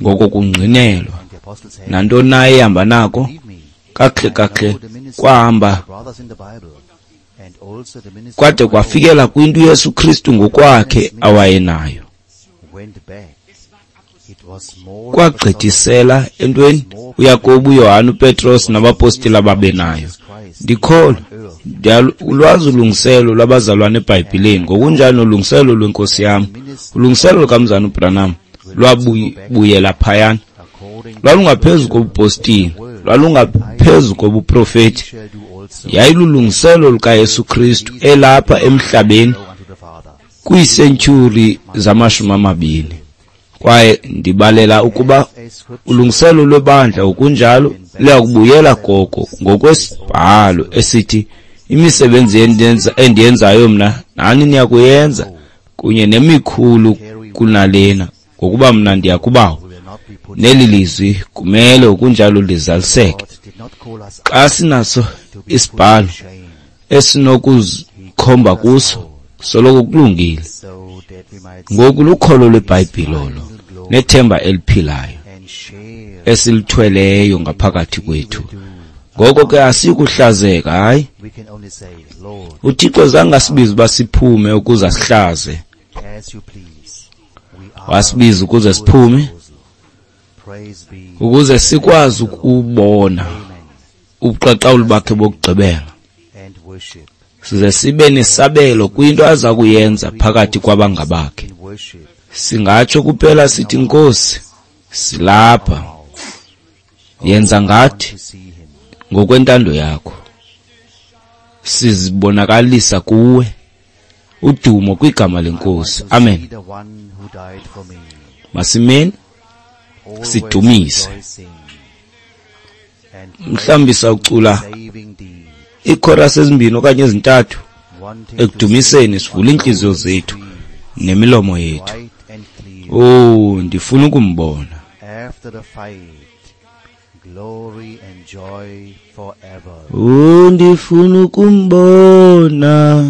ngoko kungqinelwa nantoni na ehamba nako, kakuhle kakuhle kwahamba kwade kwafikela kwinto uYesu Kristu ngokwakhe awayenayo. Kwagqithisela entweni uYakobi, uYohane, uPetros nabapostile ababenayo. Ndikholwa ndiyalwazi ulungiselo lwabazalwane eBhayibhileni, ngokunjalo nolungiselo lwenkosi yam. Ulungiselo lukaMzana uBranham lwabuyela phayana. Lwalungaphezu kobupostile, lwalungaphezu kobuprofeti. Yayilulungiselo lukaYesu Kristu elapha emhlabeni kwiisentyhuri zama-20. Kwaye ndibalela ukuba ulungiselo lwebandla ngokunjalo luyakubuyela koko ngokwesibhalo esithi imisebenzi endiyenzayo mna nani niyakuyenza kunye nemikhulu kunalena, ngokuba mna ndiya kuBawo. Neli lizwi kumele ngokunjalo lizaliseke. Xa sinaso isibhalo esinokuzikhomba kuso, soloko kulungile. Ngoku lukholo lweBhayibhile olo nethemba eliphilayo esilithweleyo ngaphakathi kwethu. Ngoko ke asikuhlazeka, hayi. UThixo zange asibize uba siphume ukuze asihlaze. Wasibiza ukuze siphume, ukuze sikwazi ukubona ubuqaqawuli bakhe bokugqibela, size sibe nesabelo kwinto aza kuyenza phakathi kwabangabakhe. Singatsho kuphela sithi, Nkosi, silapha, yenza ngathi ngokwentando yakho. Sizibonakalisa kuwe. Udumo kwigama leNkosi. Amen. Masimeni sidumise. Mhlawumbi sawucula iikhorasi ezimbini okanye ezintathu ekudumiseni, sivule iintliziyo zethu nemilomo yethu. Oh, ndifuna ukumbona. Oh, ndifuna ukumbona,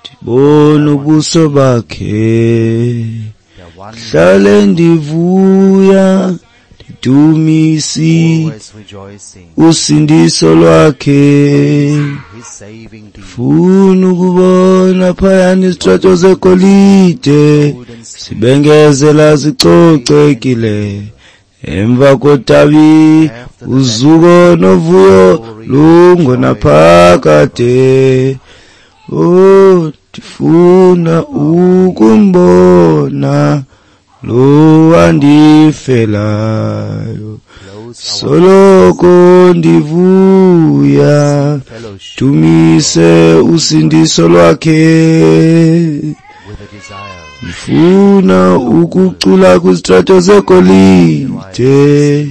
ndibone ubuso bakhe, hlale ndivuya, ndidumisi usindiso lwakhe. Funa ukubona phayana izitrato zegolide sibengezela zicocekile, emva kodabi uzuko novuyo lungonaphakade. Oh, ndifuna ukumbona lo wandifelayo, soloko ndivuya, dumise usindiso lwakhe. Ndifuna ukucula kwizitrato zegolide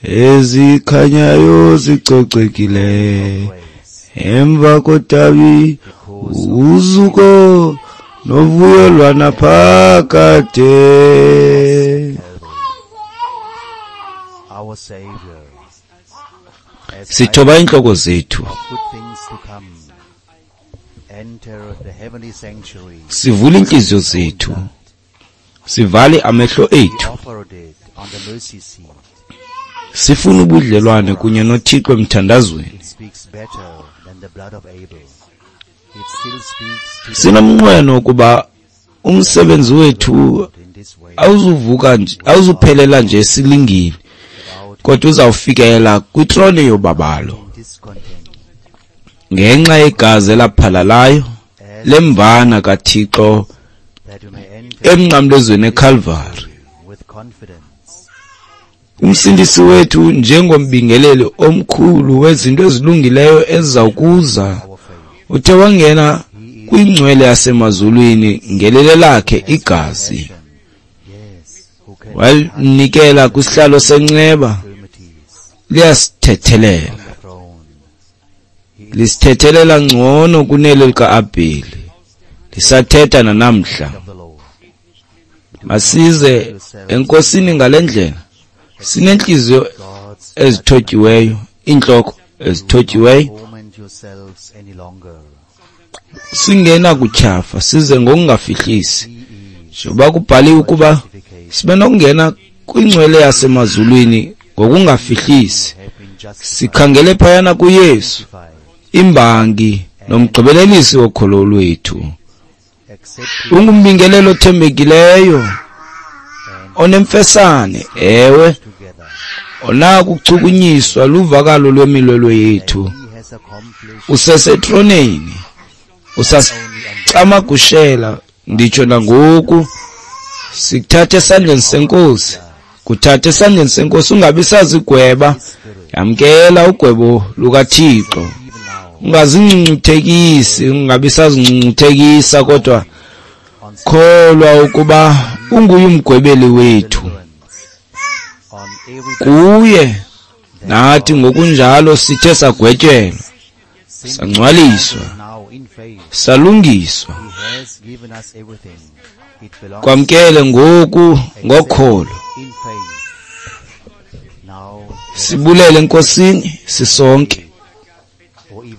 ezikhanyayo zicocekile, emva kodabi uzuko novuyo lwanaphakade. Sithoba iintloko zethu, sivule iintliziyo zethu, sivale amehlo ethu, sifuna ubudlelwane kunye noThixo emthandazweni. Sinomnqweno ukuba umsebenzi wethu awuzuvuka nje, awuzuphelela nje silingile, kodwa uzawufikela kwitrone yobabalo ngenxa yegazi elaphalalayo lemvana kaThixo emnqamlezweni eCalvary. Umsindisi wethu njengombingeleli omkhulu wezinto ezilungileyo ezizawukuza, uthe wangena kwingcwele yasemazulwini ngelele lakhe igazi, walinikela kwisihlalo senceba. Liyasithethelela, lisithethelela ngcono kunelo lika-Abheli, Ndisathetha nanamhla. Masize eNkosini ngale ndlela, sinentliziyo ezithotyiweyo, iintloko ezithotyiweyo, singenakutyhafa, size ngokungafihlisi, njengoba kubhaliwe ukuba sibe nokungena kwingcwele yasemazulwini ngokungafihlisi, sikhangele phayana kuYesu, imbangi nomgqibelelisi wokholo lwethu. Ungumbingelelo othembekileyo, onemfesane, ewe, onakuchukunyiswa luvakalo lwemilwelwe yethu. Usesetroneni, usasicamagushela nditsho nangoku. Sikuthathe esandleni senkosi, kuthathe esandleni senkosi, ungabi sazigweba. Yamkela ugwebo lukaThixo, ungazincuncuthekisi, ungabi sazincuncuthekisa, kodwa kholwa ukuba unguye umgwebeli wethu. Kuye nathi ngokunjalo sithe sagwetyelwa, sangcwaliswa, salungiswa. Kwamkele ngoku ngokholo, sibulele eNkosini sisonke,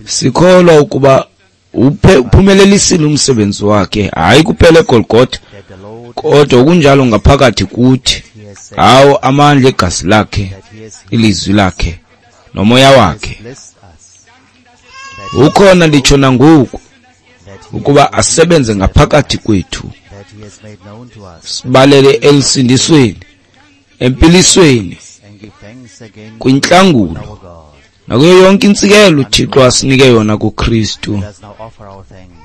sikholwa ukuba uphumelelisile umsebenzi wakhe, hayi kuphela eGolgotha, kodwa kunjalo ngaphakathi kuthi, ngawo amandla egazi lakhe, ilizwi lakhe nomoya wakhe. Ukhona nditsho nangoku ukuba asebenze ngaphakathi kwethu, sibalele elusindisweni, empilisweni, kwintlangulo, nakuyo yonke intsikelo uThixo asinike yona kuKristu.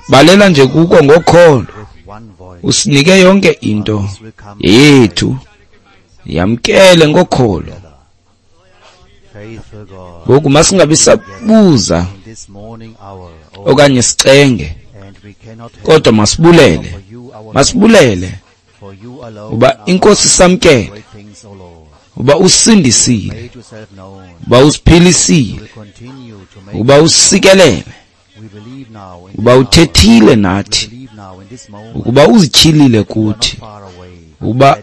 Balela nje kuko ngokholo, usinike yonke into yethu, yamkele ngokholo. Ngoku masingabi sabuza okanye sicenge, kodwa masibulele, masibulele uba iNkosi samkele, uba usindisile, uba usiphilisile, uba usikelele, uba uthethile nathi, ukuba uzityhilile kuthi, uba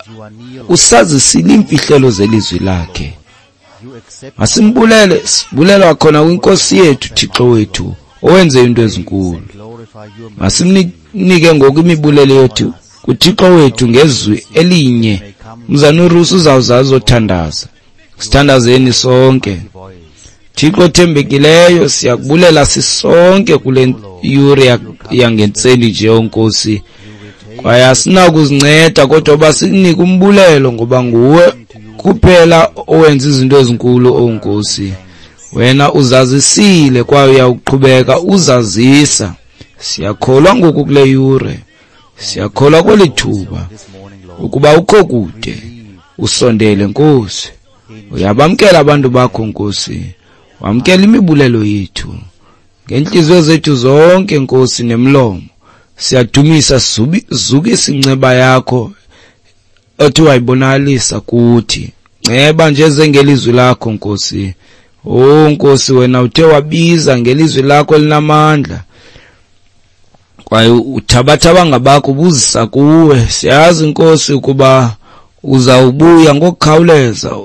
usazisile iimfihlelo zelizwi lakhe. Masimbulele, sibulelwa khona kwinkosi yethu, Thixo wethu, owenze into ezinkulu. Masimnike ngoku imibulelo yethu kuThixo wethu ngezwi elinye. Mzana uRusi uzawuza azothandaza. Sithandazeni sonke. Thixo othembekileyo, siyakubulela sisonke kule yure yangentseni nje, Nkosi. Kwaye asinakuzinceda kodwa uba sikunike umbulelo, ngoba nguwe kuphela owenza izinto ezinkulu, o Nkosi. Wena uzazisile kwaye uyawuqhubeka uzazisa. Siyakholwa ngoku kule yure, siyakholwa kweli thuba ukuba ukho kude, usondele Nkosi. Uyabamkela abantu bakho Nkosi, wamkela imibulelo yethu ngentliziyo zethu zonke Nkosi nemlomo. Siyadumisa, zukisa inceba yakho othi wayibonakalisa kuthi. Nceba nje zengelizwi lakho Nkosi. O Nkosi, wena uthe wabiza ngelizwi lakho elinamandla, kwaye uthabatha abangabakho ubuzisa kuwe. Siyazi Nkosi ukuba uzawubuya ngokukhawuleza,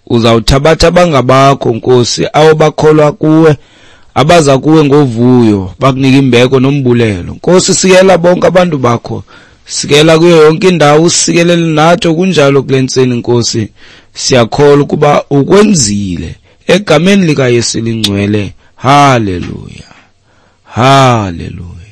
uzawuthabatha abangabakho Nkosi, abo bakholwa kuwe, abaza kuwe ngovuyo, bakunika imbeko nombulelo. Nkosi, sikela bonke abantu bakho, sikela kuyo yonke indawo, usikelele nathi okunjalo kule ntseni Nkosi. Siyakholwa ukuba ukwenzile, egameni likaYesu elingcwele. Haleluya, haleluya.